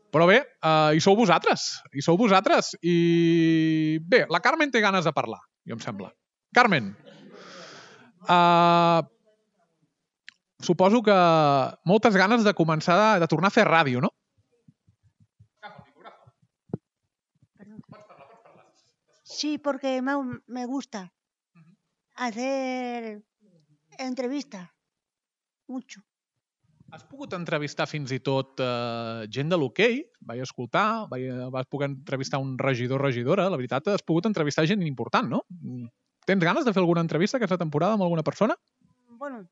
Però bé, uh, hi sou vosaltres, hi sou vosaltres. I bé, la Carmen té ganes de parlar, jo em sembla. Carmen, Uh, suposo que moltes ganes de començar de, de tornar a fer ràdio, no? Sí, porque me, me gusta hacer entrevistas, mucho. Has pogut entrevistar fins i tot uh, gent de l'hoquei? Vaig escoltar, vaig, vas poder entrevistar un regidor o regidora. La veritat, has pogut entrevistar gent important, no? Tens ganes de fer alguna entrevista aquesta temporada amb alguna persona? Bueno,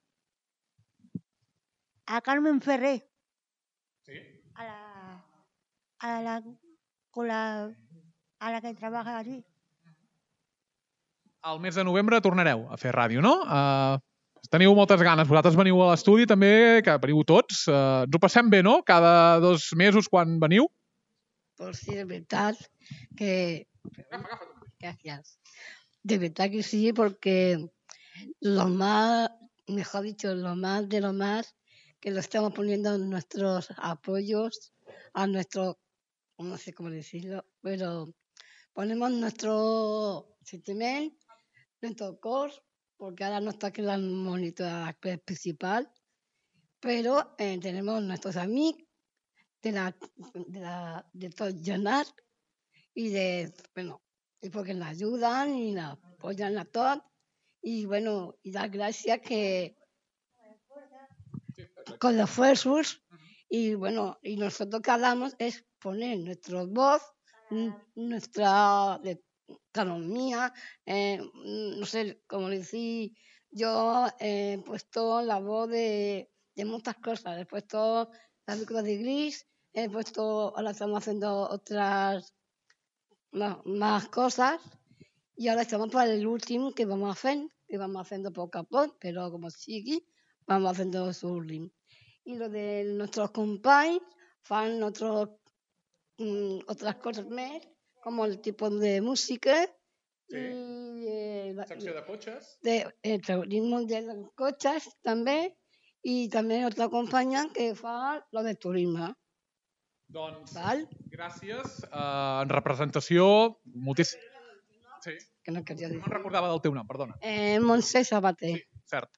a Carmen Ferrer. Sí. A la, a la, con la, a la que trabaja allí. Al mes de novembre tornareu a fer ràdio, no? Uh, teniu moltes ganes. Vosaltres veniu a l'estudi també, que veniu tots. Uh, ens ho passem bé, no? Cada dos mesos quan veniu. Pues sí, de verdad que... Gracias. De verdad que sí, porque lo más, mejor dicho, lo más de lo más que lo estamos poniendo en nuestros apoyos, a nuestro, no sé cómo decirlo, pero ponemos nuestro sentimiento, nuestro cor, porque ahora no está aquí la monitora principal, pero eh, tenemos nuestros amigos de la de, la, de todo Jonar y de, bueno, y porque nos ayudan y nos apoyan a todos y bueno, y dar gracias que con los esfuerzos y bueno, y nosotros que hablamos es poner nuestra voz, n- nuestra de- economía, eh, no sé cómo decir, yo he puesto la voz de, de muchas cosas, he puesto la película de Gris, he puesto, ahora estamos haciendo otras más, más cosas y ahora estamos para el último que vamos a hacer, que vamos haciendo poco a poco, pero como sigue, vamos haciendo su último. Y lo de nuestros compañeros, fan otros, mm, otras cosas más, como el tipo de música Sí. y eh, la- Secció de cotxes. de, el turismo de los coches también, y también otra compañía que fa lo de turismo. Doncs, Val? gràcies. Uh, en representació, moltíssim... Sí. Que no quería No decir. em recordava del teu nom, perdona. Eh, Montse Sabater. Sí, cert.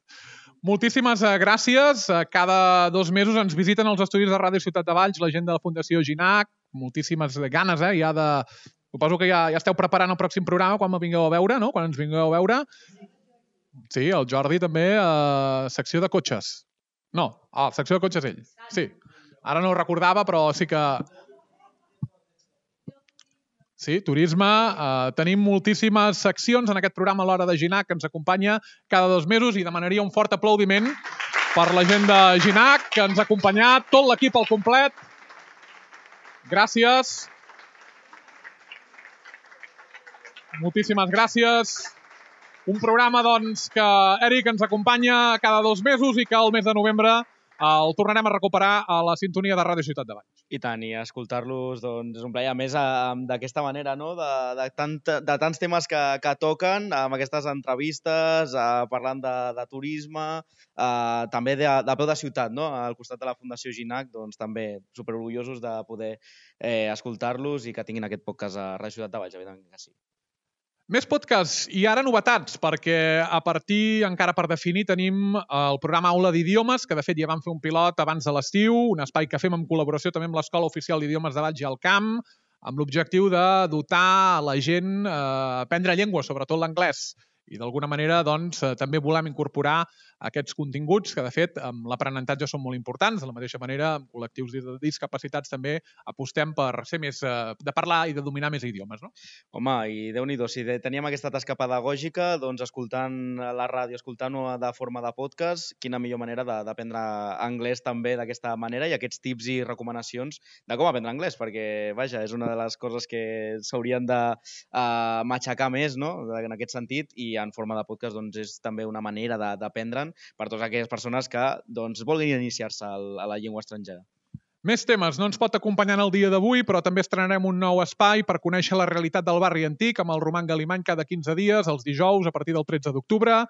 Moltíssimes eh, gràcies. Eh, Cada dos mesos ens visiten els estudis de Ràdio Ciutat de Valls, la gent de la Fundació Ginac. Moltíssimes ganes, eh? Ja de... Suposo que ja, ja esteu preparant el pròxim programa quan me vingueu a veure, no? Quan ens vingueu a veure. Sí, el Jordi també, eh, secció de cotxes. No, ah, secció de cotxes ell. Sí. Ara no ho recordava, però sí que... Sí, turisme. Eh, tenim moltíssimes seccions en aquest programa a l'Hora de Ginac que ens acompanya cada dos mesos i demanaria un fort aplaudiment per la gent de Ginac que ens ha acompanyat, tot l'equip al complet. Gràcies. Moltíssimes gràcies. Un programa, doncs, que Eric ens acompanya cada dos mesos i que el mes de novembre el tornarem a recuperar a la sintonia de Ràdio Ciutat de Valls. I tant, i escoltar-los doncs, és un plaer. A més, eh, d'aquesta manera, no? de, de, tant, de tants temes que, que toquen, amb aquestes entrevistes, eh, parlant de, de turisme, eh, també de, de peu de ciutat, no? Al costat de la Fundació Ginac, doncs també superorgullosos de poder eh, escoltar-los i que tinguin aquest podcast a Ràdio Ciutat de Valls, evidentment que sí. Més podcasts i ara novetats, perquè a partir, encara per definir, tenim el programa Aula d'Idiomes, que de fet ja vam fer un pilot abans de l'estiu, un espai que fem en col·laboració també amb l'Escola Oficial d'Idiomes de Valls i el Camp, amb l'objectiu de dotar la gent a aprendre llengua, sobretot l'anglès. I d'alguna manera doncs, també volem incorporar aquests continguts que, de fet, amb l'aprenentatge són molt importants. De la mateixa manera, amb col·lectius de discapacitats també apostem per ser més, de parlar i de dominar més idiomes, no? Home, i Déu-n'hi-do, si teníem aquesta tasca pedagògica, doncs escoltant la ràdio, escoltant-ho de forma de podcast, quina millor manera d'aprendre anglès també d'aquesta manera i aquests tips i recomanacions de com aprendre anglès, perquè, vaja, és una de les coses que s'haurien de uh, matxacar més, no?, en aquest sentit, i en forma de podcast doncs, és també una manera d'aprendre'n per totes aquelles persones que doncs, vulguin iniciar-se a la llengua estrangera. Més temes. No ens pot acompanyar en el dia d'avui, però també estrenarem un nou espai per conèixer la realitat del barri antic amb el Roman Galimany cada quinze dies, els dijous, a partir del tretze d'octubre.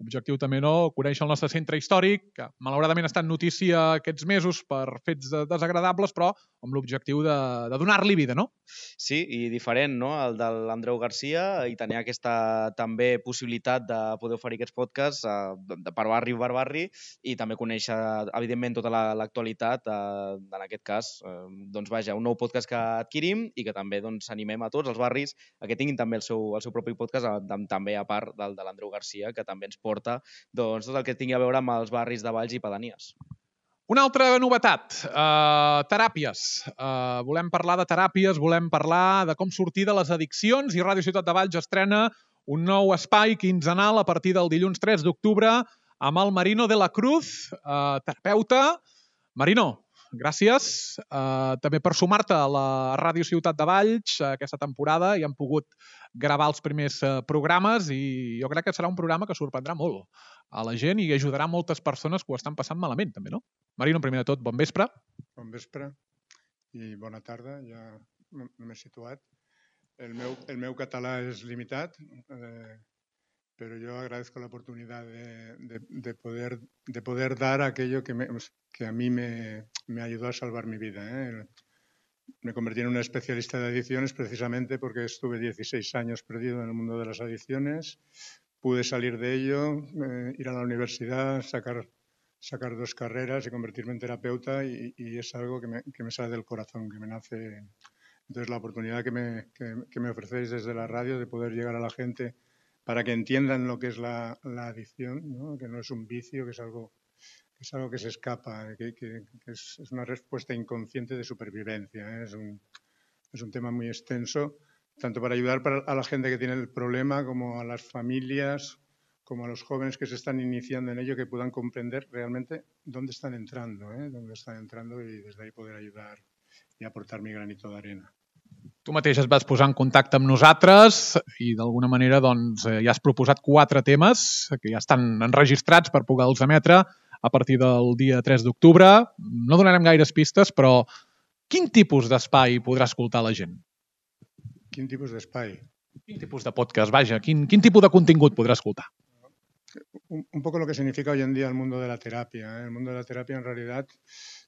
Objectiu també, no?, conèixer el nostre centre històric, que malauradament ha estat notícia aquests mesos per fets desagradables, però amb l'objectiu de, de donar-li vida, no? Sí, i diferent, no?, el de l'Andreu Garcia, i tenir aquesta també possibilitat de poder oferir aquests podcasts eh, de per barri per barri i també conèixer, evidentment, tota l'actualitat, eh, en aquest cas, eh, doncs vaja, un nou podcast que adquirim i que també doncs, animem a tots els barris a que tinguin també el seu, el seu propi podcast, a, també a part del de l'Andreu Garcia, que també ens porta doncs, tot el que tingui a veure amb els barris de Valls i pedanies. Una altra novetat, uh, teràpies. Uh, volem parlar de teràpies, volem parlar de com sortir de les addiccions i Ràdio Ciutat de Valls estrena un nou espai quinzenal a partir del dilluns tres d'octubre amb el Marino de la Cruz, uh, terapeuta. Marino, gràcies uh, també per sumar-te a la Ràdio Ciutat de Valls uh, aquesta temporada i hem pogut gravar els primers uh, programes i jo crec que serà un programa que sorprendrà molt a la gent i ajudarà moltes persones que ho estan passant malament també, no? Marino, primer de tot, bon vespre. Bon vespre i bona tarda, ja no m'he situat. El meu, el meu català és limitat, eh, pero yo agradezco la oportunidad de, de, de, poder, de poder dar aquello que, me, que a mí me, me ayudó a salvar mi vida. ¿eh? Me convertí en un especialista de adicciones precisamente porque estuve dieciséis años perdido en el mundo de las adicciones. Pude salir de ello, eh, ir a la universidad, sacar, sacar dos carreras y convertirme en terapeuta y, y es algo que me, que me sale del corazón, que me nace. Entonces la oportunidad que me, que, que me ofrecéis desde la radio de poder llegar a la gente para que entiendan lo que es la, la adicción, ¿no? Que no es un vicio, que es algo que, es algo que se escapa, que, que, que es, es una respuesta inconsciente de supervivencia, ¿eh? Es un, es un tema muy extenso, tanto para ayudar para, a la gente que tiene el problema como a las familias, como a los jóvenes que se están iniciando en ello, que puedan comprender realmente dónde están entrando, ¿eh? Dónde están entrando y des d'ahí poder ayudar i aportar mi granito d'arena. Tu mateix es vas posar en contacte amb nosaltres i d'alguna manera doncs, ja has proposat quatre temes que ja estan enregistrats per poder-los emetre a partir del dia tres d'octubre. No donarem gaires pistes, però quin tipus d'espai podrà escoltar la gent? Quin tipus d'espai? Quin tipus de podcast, vaja, quin, quin tipus de contingut podrà escoltar? Un, un poco lo que significa hoy en día el mundo de la terapia, ¿eh? El mundo de la terapia en realidad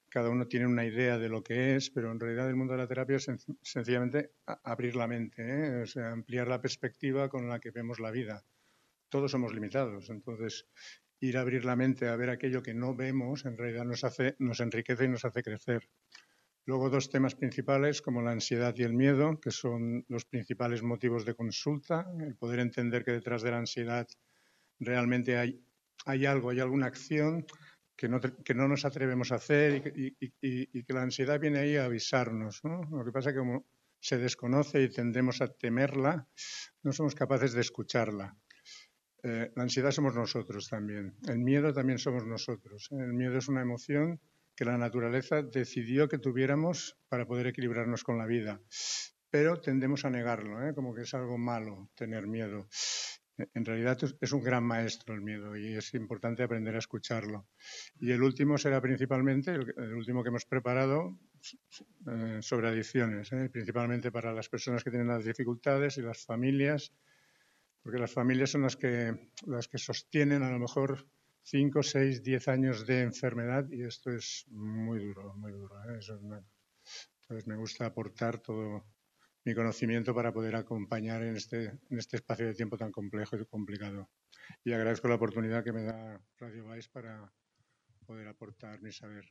cada uno tiene una idea de lo que es, pero en realidad el mundo de la terapia es sen sencillamente abrir la mente, ¿eh? O sea, ampliar la perspectiva con la que vemos la vida. Todos somos limitados, entonces ir a abrir la mente a ver aquello que no vemos en realidad nos hace, nos enriquece y nos hace crecer. Luego dos temas principales como la ansiedad y el miedo, que son los principales motivos de consulta, el poder entender que detrás de la ansiedad realmente hay, hay algo, hay alguna acción que no, que no nos atrevemos a hacer y, y, y, y que la ansiedad viene ahí a avisarnos, ¿no? Lo que pasa es que como se desconoce y tendemos a temerla, no somos capaces de escucharla. Eh, la ansiedad somos nosotros también, el miedo también somos nosotros. El miedo es una emoción que la naturaleza decidió que tuviéramos para poder equilibrarnos con la vida, pero tendemos a negarlo, ¿eh? Como que es algo malo tener miedo. En realidad es un gran maestro el miedo y es importante aprender a escucharlo. Y el último será principalmente, el, el último que hemos preparado, eh, sobre adicciones, ¿eh? Principalmente para las personas que tienen las dificultades y las familias, porque las familias son las que, las que sostienen a lo mejor cinco, seis, diez años de enfermedad y esto es muy duro, muy duro, ¿eh? Eso es una... Entonces me gusta aportar todo mi conocimiento para poder acompañar en este, en este espacio de tiempo tan complejo y complicado. Y agradezco la oportunidad que me da Radio Valls para poder aportar mi saber.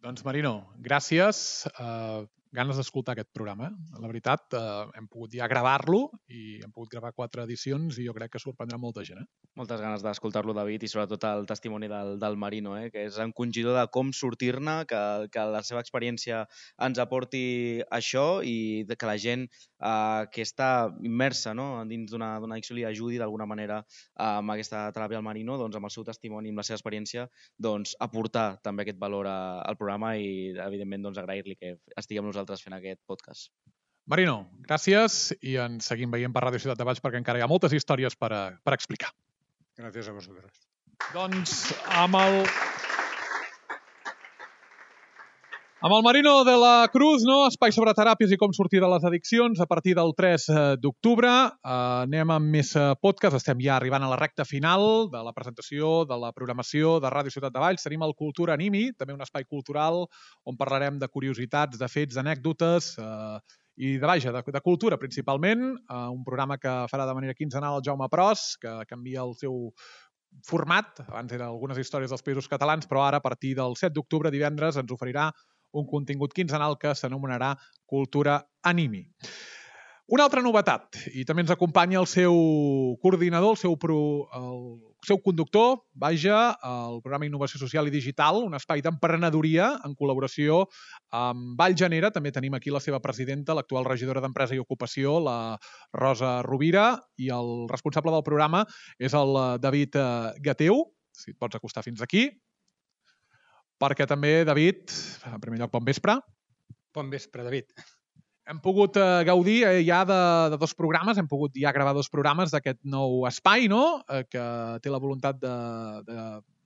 Doncs Marino, gràcies. Uh, ganes d'escoltar aquest programa. La veritat, uh, hem pogut ja gravar-lo i hem pogut gravar quatre edicions i jo crec que sorprendrà molta gent. Eh? Moltes ganes d'escoltar-lo, David, i sobretot el testimoni del, del Marino, eh? Que és encongidor de com sortir-ne, que, que la seva experiència ens aporti això i que la gent eh, que està immersa, no? Dins d'una addicció li ajudi d'alguna manera eh, amb aquesta teràpia al Marino, doncs, amb el seu testimoni, amb la seva experiència, doncs, aportar també aquest valor a, al programa i, evidentment, doncs, agrair-li que estigui amb nosaltres fent aquest podcast. Marino, gràcies i ens seguim veient per Ràdio Ciutat de Valls perquè encara hi ha moltes històries per, a, per explicar. Gràcies a vosaltres. Doncs amb el... Amb el Marino de la Cruz, no? Espai sobre teràpies i com sortir de les addiccions a partir del tres d'octubre. Eh, anem amb més podcast. Estem ja arribant a la recta final de la presentació, de la programació de Ràdio Ciutat de Valls. Tenim el Cultura Animi, també un espai cultural on parlarem de curiositats, de fets, d'anècdotes eh, i de, vaja, de, de cultura principalment. Eh, un programa que farà de manera quinzenal el Jaume Pros, que canvia el seu format. Abans eren algunes històries dels països catalans, però ara a partir del set d'octubre, divendres, ens oferirà un contingut quinzenal que s'anomenarà Cultura Animi. Una altra novetat, i també ens acompanya el seu coordinador, el seu, pro, el seu conductor, vaja, el programa Innovació Social i Digital, un espai d'emprenedoria en col·laboració amb Vallgenera. També tenim aquí la seva presidenta, l'actual regidora d'Empresa i Ocupació, la Rosa Rovira, i el responsable del programa és el David Gateu. Si et pots acostar fins aquí. Perquè també, David, en primer lloc, bon vespre. Bon vespre, David. Hem pogut eh, gaudir eh, ja de, de dos programes, hem pogut ja gravar dos programes d'aquest nou espai, no? Eh, que té la voluntat de, de,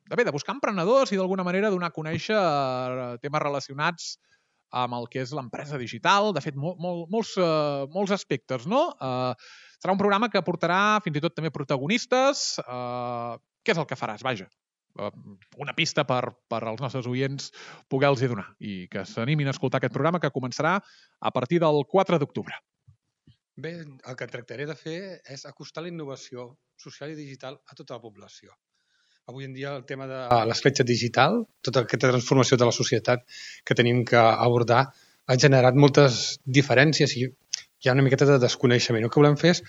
de, bé, de buscar emprenedors i d'alguna manera donar a conèixer eh, temes relacionats amb el que és l'empresa digital, de fet, mol, mol, molts, eh, molts aspectes, no? Eh, serà un programa que portarà fins i tot també protagonistes. Eh, què és el que faràs, vaja? Una pista per, per als nostres oients poder-los donar i que s'animin a escoltar aquest programa que començarà a partir del quatre d'octubre. Bé, el que tractaré de fer és acostar la innovació social i digital a tota la població. Avui en dia el tema de l'escletxa digital, tota aquesta transformació de la societat que tenim que abordar, ha generat moltes diferències i hi ha una miqueta de desconeixement. El que volem fer és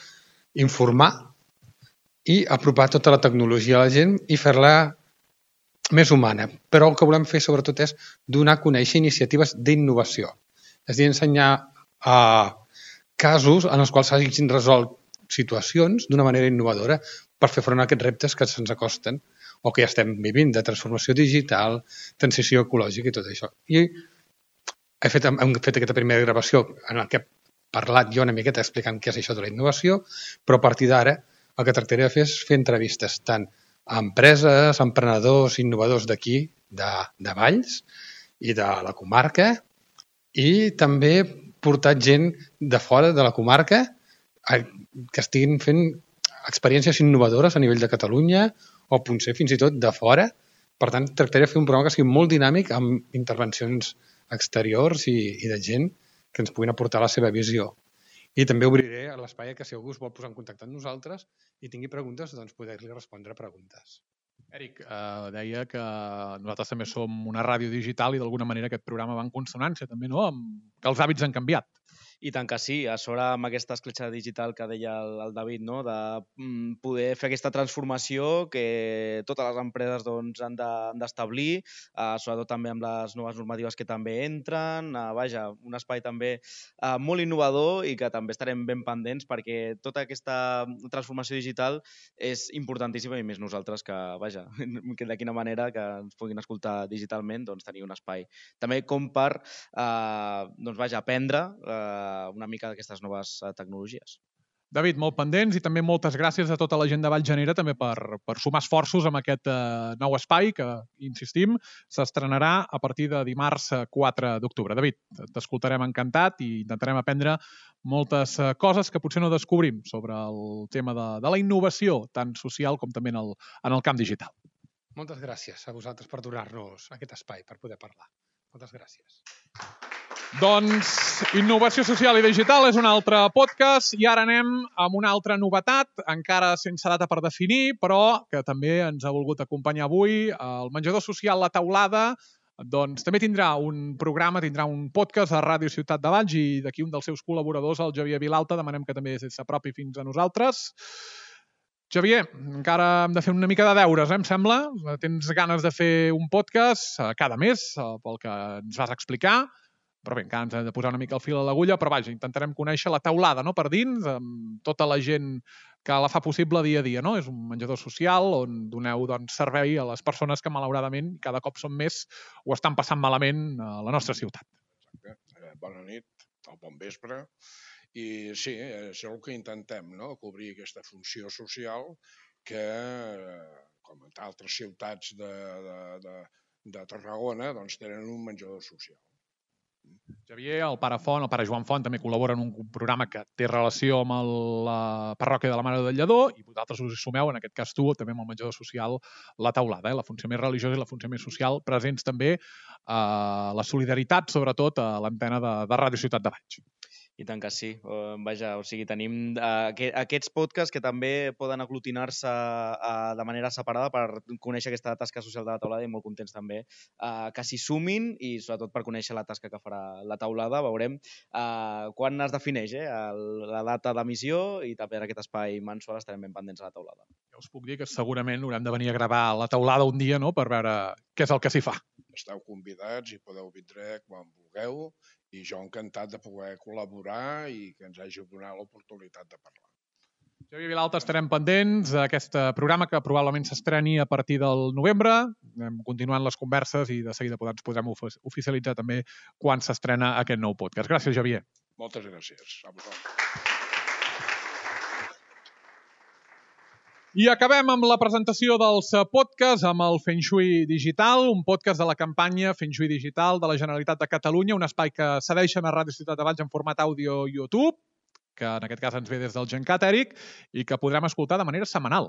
informar i apropar tota la tecnologia a la gent i fer-la més humana. Però el que volem fer sobretot és donar a conèixer iniciatives d'innovació. És a dir, ensenyar a casos en els quals s'hagin resolt situacions d'una manera innovadora per fer front a aquests reptes que se'ns acosten o que ja estem vivint, de transformació digital, transició ecològica i tot això. I he fet, hem fet aquesta primera gravació en què he parlat jo una miqueta explicant què és això de la innovació, però a partir d'ara el que tractaré de fer és fer entrevistes tant a empreses, emprenedors, innovadors d'aquí, de, de Valls i de la comarca, i també portar gent de fora de la comarca que estiguin fent experiències innovadores a nivell de Catalunya o potser fins i tot de fora. Per tant, tractaré de fer un programa que sigui molt dinàmic amb intervencions exteriors i, i de gent que ens puguin aportar la seva visió. I també obriré l'espai que si algú es vol posar en contacte amb nosaltres i tingui preguntes, doncs poder-li respondre preguntes. Eric, eh, deia que nosaltres també som una ràdio digital i d'alguna manera aquest programa va en consonància també, no? Amb que els hàbits han canviat. I tant que sí, a sobre amb aquesta escletxa digital que deia el, el David, no? De mm, poder fer aquesta transformació que totes les empreses doncs, han d'establir, de, eh, sobretot també amb les noves normatives que també entren, eh, vaja, un espai també eh, molt innovador i que també estarem ben pendents perquè tota aquesta transformació digital és importantíssima i més nosaltres que, vaja, que de quina manera que ens puguin escoltar digitalment, doncs tenir un espai. També com per, eh, doncs vaja, aprendre eh, una mica d'aquestes noves tecnologies. David, molt pendents i també moltes gràcies a tota la gent de Vallgenera també per, per sumar esforços amb aquest eh, nou espai que, insistim, s'estrenarà a partir de dimarts quatre d'octubre. David, t'escoltarem encantat i intentarem aprendre moltes eh, coses que potser no descobrim sobre el tema de, de la innovació, tant social com també en el, en el camp digital. Moltes gràcies a vosaltres per donar-nos aquest espai per poder parlar. Moltes gràcies. Doncs Innovació Social i Digital és un altre podcast i ara anem amb una altra novetat, encara sense data per definir, però que també ens ha volgut acompanyar avui. El menjador social La Taulada doncs, també tindrà un programa, tindrà un podcast a Ràdio Ciutat de Valls i d'aquí un dels seus col·laboradors, el Xavier Vilalta, demanem que també s'apropi fins a nosaltres. Xavier, encara hem de fer una mica de deures, eh, em sembla. Tens ganes de fer un podcast cada mes, pel que ens vas explicar. Però bé, encara ens hem de posar una mica el fil a l'agulla, però vaja, intentarem conèixer La Taulada, no?, per dins, amb tota la gent que la fa possible dia a dia, no? És un menjador social on doneu doncs, servei a les persones que malauradament cada cop són més o estan passant malament a la nostra ciutat. Exacte. Bona nit, o bon vespre. I sí, és el que intentem, no?, cobrir aquesta funció social que, com en altres ciutats de, de, de, de Tarragona, doncs tenen un menjador social. Xavier, el pare Font, el pare Joan Font, també col·labora en un programa que té relació amb el, la parròquia de la Mare del Lledó i vosaltres us hi sumeu, en aquest cas tu, també amb el menjador social La Taulada, eh? La funció més religiosa i la funció més social, presents també a la solidaritat, sobretot a l'antena de, de Ràdio Ciutat de Valls. I tant que sí. Uh, vaja, o sigui, tenim uh, aquests podcasts que també poden aglutinar-se uh, de manera separada per conèixer aquesta tasca social de La Taulada i molt contents també uh, que s'hi sumin i sobretot per conèixer la tasca que farà La Taulada. Veurem uh, quan es defineix eh, el, la data d'emissió i també en aquest espai mensual estarem ben pendents a La Taulada. Ja us puc dir que segurament haurem de venir a gravar La Taulada un dia, no?, per veure què és el que s'hi fa. Esteu convidats i podeu vindre quan vulgueu i jo encantat de poder col·laborar i que ens hagi donat l'oportunitat de parlar. Xavier Vilalta, estarem pendents d'aquest programa que probablement s'estreni a partir del novembre. Anem continuant les converses i de seguida ens podrem oficialitzar també quan s'estrena aquest nou podcast. Gràcies, Xavier. Moltes gràcies. A vosaltres. I acabem amb la presentació dels podcasts amb el Feng Shui Digital, un podcast de la campanya Feng Shui Digital de la Generalitat de Catalunya, un espai que cedeixen a Ràdio Ciutat de Valls en format àudio YouTube, que en aquest cas ens ve des del Gencat, Eric, i que podrem escoltar de manera setmanal.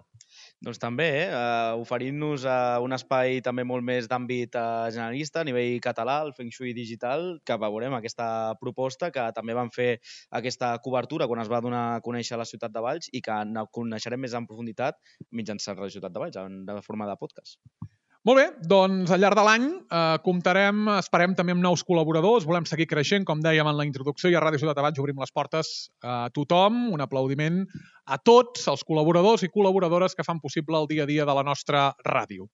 Doncs també, eh? Uh, oferint-nos uh, un espai també molt més d'àmbit uh, generalista a nivell català, el Feng Shui Digital, que veurem aquesta proposta que també van fer aquesta cobertura quan es va donar a conèixer la ciutat de Valls i que coneixerem més en profunditat mitjançant la ciutat de Valls, de forma de podcast. Molt bé, doncs al llarg de l'any eh, comptarem, esperem també amb nous col·laboradors, volem seguir creixent, com dèiem en la introducció, i a Ràdio Ciutat de Valls obrim les portes a tothom, un aplaudiment a tots els col·laboradors i col·laboradores que fan possible el dia a dia de la nostra ràdio.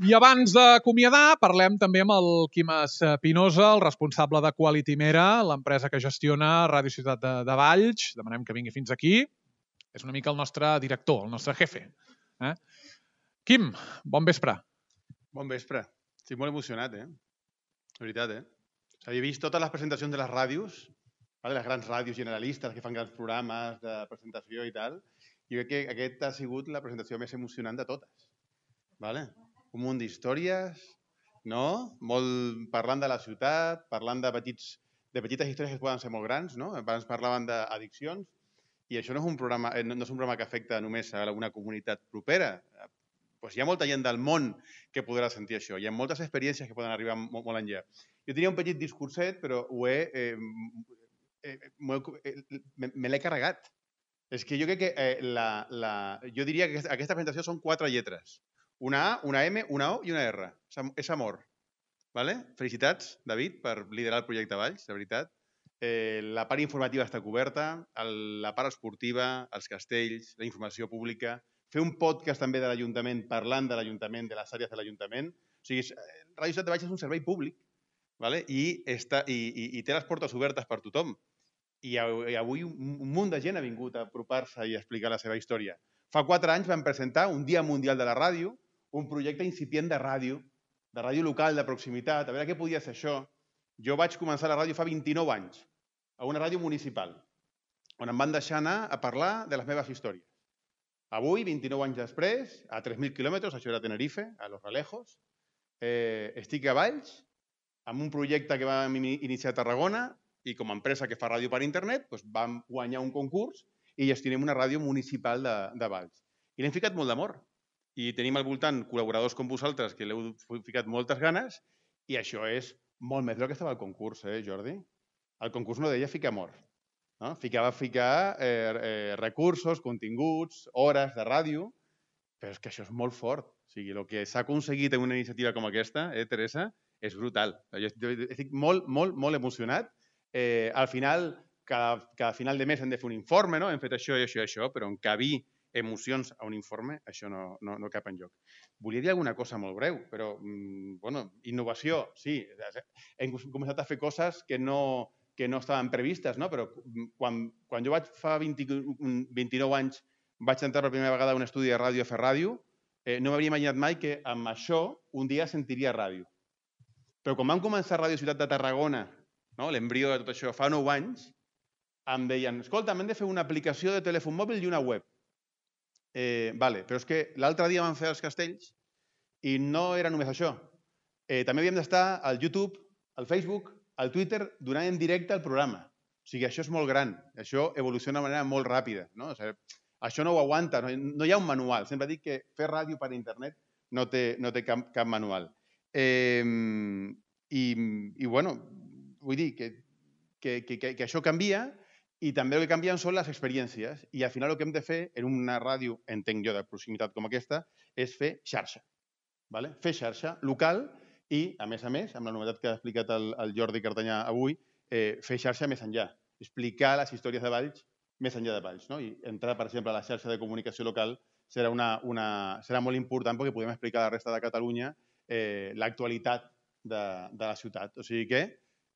I abans d'acomiadar, parlem també amb el Quim Espinosa, el responsable de Quality Mera, l'empresa que gestiona Ràdio Ciutat de, de Valls. Demanem que vingui fins aquí. És una mica el nostre director, el nostre jefe. Eh? Quim, bon vespre. Bon vespre. Estic molt emocionat, eh? De veritat, eh? Havia vist totes les presentacions de les ràdios, de les grans ràdios generalistes que fan grans programes de presentació i tal, i crec que aquesta ha sigut la presentació més emocionant de totes. Vale? Un munt d'històries, no? Molt parlant de la ciutat, parlant de, petits, de petites històries que poden ser molt grans, no? Abans parlaven d'addiccions, i això no és, un programa, no és un programa que afecta només a una comunitat propera. Pues hi ha molta gent del món que podrà sentir això. Hi ha moltes experiències que poden arribar molt, molt enllà. Jo tenia un petit discurset, però ho he, eh, eh, eh, me l'he carregat. És que jo crec que eh, la, la, jo diria que aquesta presentació són quatre lletres. Una A, una M, una O i una R. És amor. Vale? Felicitats, David, per liderar el projecte Valls, de veritat. Eh, la part informativa està coberta, el, la part esportiva, els castells, la informació pública, fer un podcast també de l'Ajuntament parlant de l'Ajuntament, de les àrees de l'Ajuntament. O sigui, Ràdio Ciutat de Valls és un servei públic, vale? I, està, i, i, i té les portes obertes per tothom. I, i avui un, un munt de gent ha vingut a apropar-se i a explicar la seva història. Fa quatre anys vam presentar un Dia Mundial de la Ràdio, un projecte incipient de ràdio, de ràdio local, de proximitat, a veure què podia ser això. Jo vaig començar la ràdio fa vint-i-nou anys, a una ràdio municipal, on em van deixar anar a parlar de les meves històries. Avui, vint-i-nou anys després, a tres mil quilòmetres, això era Tenerife, a Los Realejos, eh, estic a Valls, amb un projecte que vam iniciar a Tarragona, i com a empresa que fa ràdio per internet, doncs vam guanyar un concurs i gestionem una ràdio municipal de, de Valls. I l'hem ficat molt d'amor. I tenim al voltant col·laboradors com vosaltres que l'heu ficat moltes ganes i això és molt més del que estava al concurs, eh, Jordi? El concurs no deia ficar amor. No? Ficava ficar eh, eh, recursos, continguts, hores de ràdio, però és que això és molt fort. O sigui, el que s'ha aconseguit en una iniciativa com aquesta, eh, Teresa, és brutal. Jo estic molt, molt, molt emocionat. Eh, al final, cada, cada final de mes hem de fer un informe, no? Hem fet això i això i això, però en cabir emocions a un informe, això no, no, no cap enlloc. Volia dir alguna cosa molt breu, però, bueno, innovació, sí. Hem començat a fer coses que no, que no estaven previstes, no? Però quan, quan jo vaig fa vint, vint-i-nou anys vaig entrar per primera vegada a un estudi de ràdio a fer ràdio, eh, no m'havia imaginat mai que amb això un dia sentiria ràdio. Però quan vam començar Ràdio Ciutat de Tarragona, no? L'embrió de tot això, fa nou anys, em deien, escolta, hem de fer una aplicació de telèfon mòbil i una web. Eh, vale, però és que l'altre dia vam fer els castells i no era només això. Eh, també havíem d'estar al YouTube, al Facebook, al Twitter, donant en directe el programa. O sigui, això és molt gran. Això evoluciona de manera molt ràpida. No? O sigui, això no ho aguanta. No, no hi ha un manual. Sempre dic que fer ràdio per internet no té, no té cap, cap manual. Eh, i, I, bueno, vull dir que, que, que, que això canvia. I també el que canvien són les experiències. I al final el que hem de fer en una ràdio, entenc jo, de proximitat com aquesta, és fer xarxa. Vale? Fer xarxa local i, a més a més, amb la novetat que ha explicat el, el Jordi Cartanyà avui, eh, fer xarxa més enllà. Explicar les històries de Valls més enllà de Valls. No? I entrar, per exemple, a la xarxa de comunicació local serà, una, una, serà molt important perquè podem explicar a la resta de Catalunya eh, l'actualitat de, de la ciutat. O sigui que,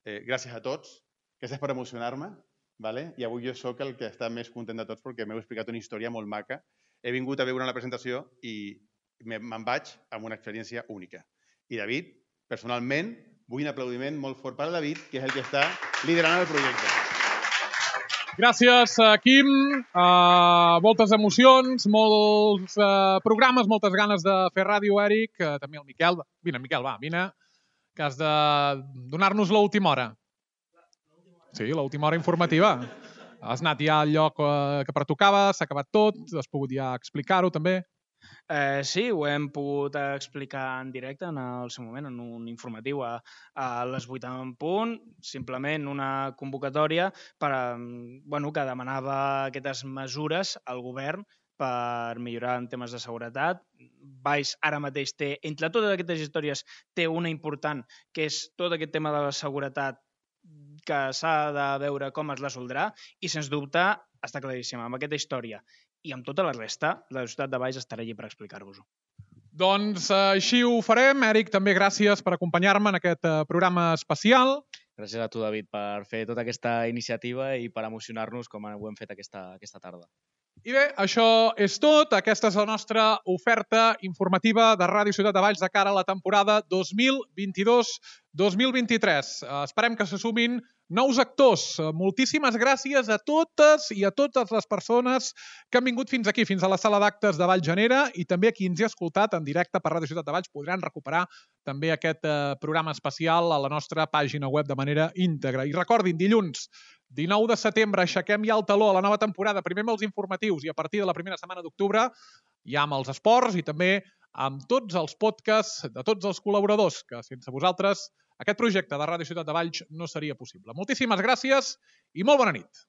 eh, gràcies a tots, gràcies per emocionar-me. Vale? I avui jo sóc el que està més content de tots perquè m'heu explicat una història molt maca. He vingut a veure la presentació i me'n vaig amb una experiència única. I David, personalment, vull un aplaudiment molt fort per al David, que és el que està liderant el projecte. Gràcies, Quim. Uh, moltes emocions, molts uh, programes, moltes ganes de fer ràdio, Eric. Uh, també el Miquel. Vine, Miquel, va, vine, que has de donar-nos l'última hora. Sí, l'última hora informativa. Has anat ja al lloc que pertocava, s'ha acabat tot, has pogut ja explicar-ho també. Eh, sí, ho hem pogut explicar en directe en el seu moment, en un informatiu a, a les vuit en punt, simplement una convocatòria per, eh, bueno, que demanava aquestes mesures al govern per millorar en temes de seguretat. Valls ara mateix té, entre totes aquestes històries, té una important, que és tot aquest tema de la seguretat que s'ha de veure com es resoldrà i, sens dubte, està claríssima. Amb aquesta història i amb tota la resta, la ciutat de Valls estarà allí per explicar-vos-ho. Doncs eh, així ho farem. Eric, també gràcies per acompanyar-me en aquest eh, programa especial. Gràcies a tu, David, per fer tota aquesta iniciativa i per emocionar-nos com ho hem fet aquesta, aquesta tarda. I bé, això és tot. Aquesta és la nostra oferta informativa de Ràdio Ciutat de Valls de cara a la temporada dos mil vint-i-dos dos mil vint-i-tres. Eh, esperem que se sumin nous actors. Eh, moltíssimes gràcies a totes i a totes les persones que han vingut fins aquí, fins a la sala d'actes de Vallgenera, i també a qui ens hi ha escoltat en directe per Ràdio Ciutat de Valls podran recuperar també aquest eh, programa especial a la nostra pàgina web de manera íntegra. I recordin, dilluns dinou de setembre, aixequem ja el taló a la nova temporada, primer amb els informatius i a partir de la primera setmana d'octubre ja amb els esports i també amb tots els podcasts de tots els col·laboradors, que sense vosaltres aquest projecte de Ràdio Ciutat de Valls no seria possible. Moltíssimes gràcies i molt bona nit.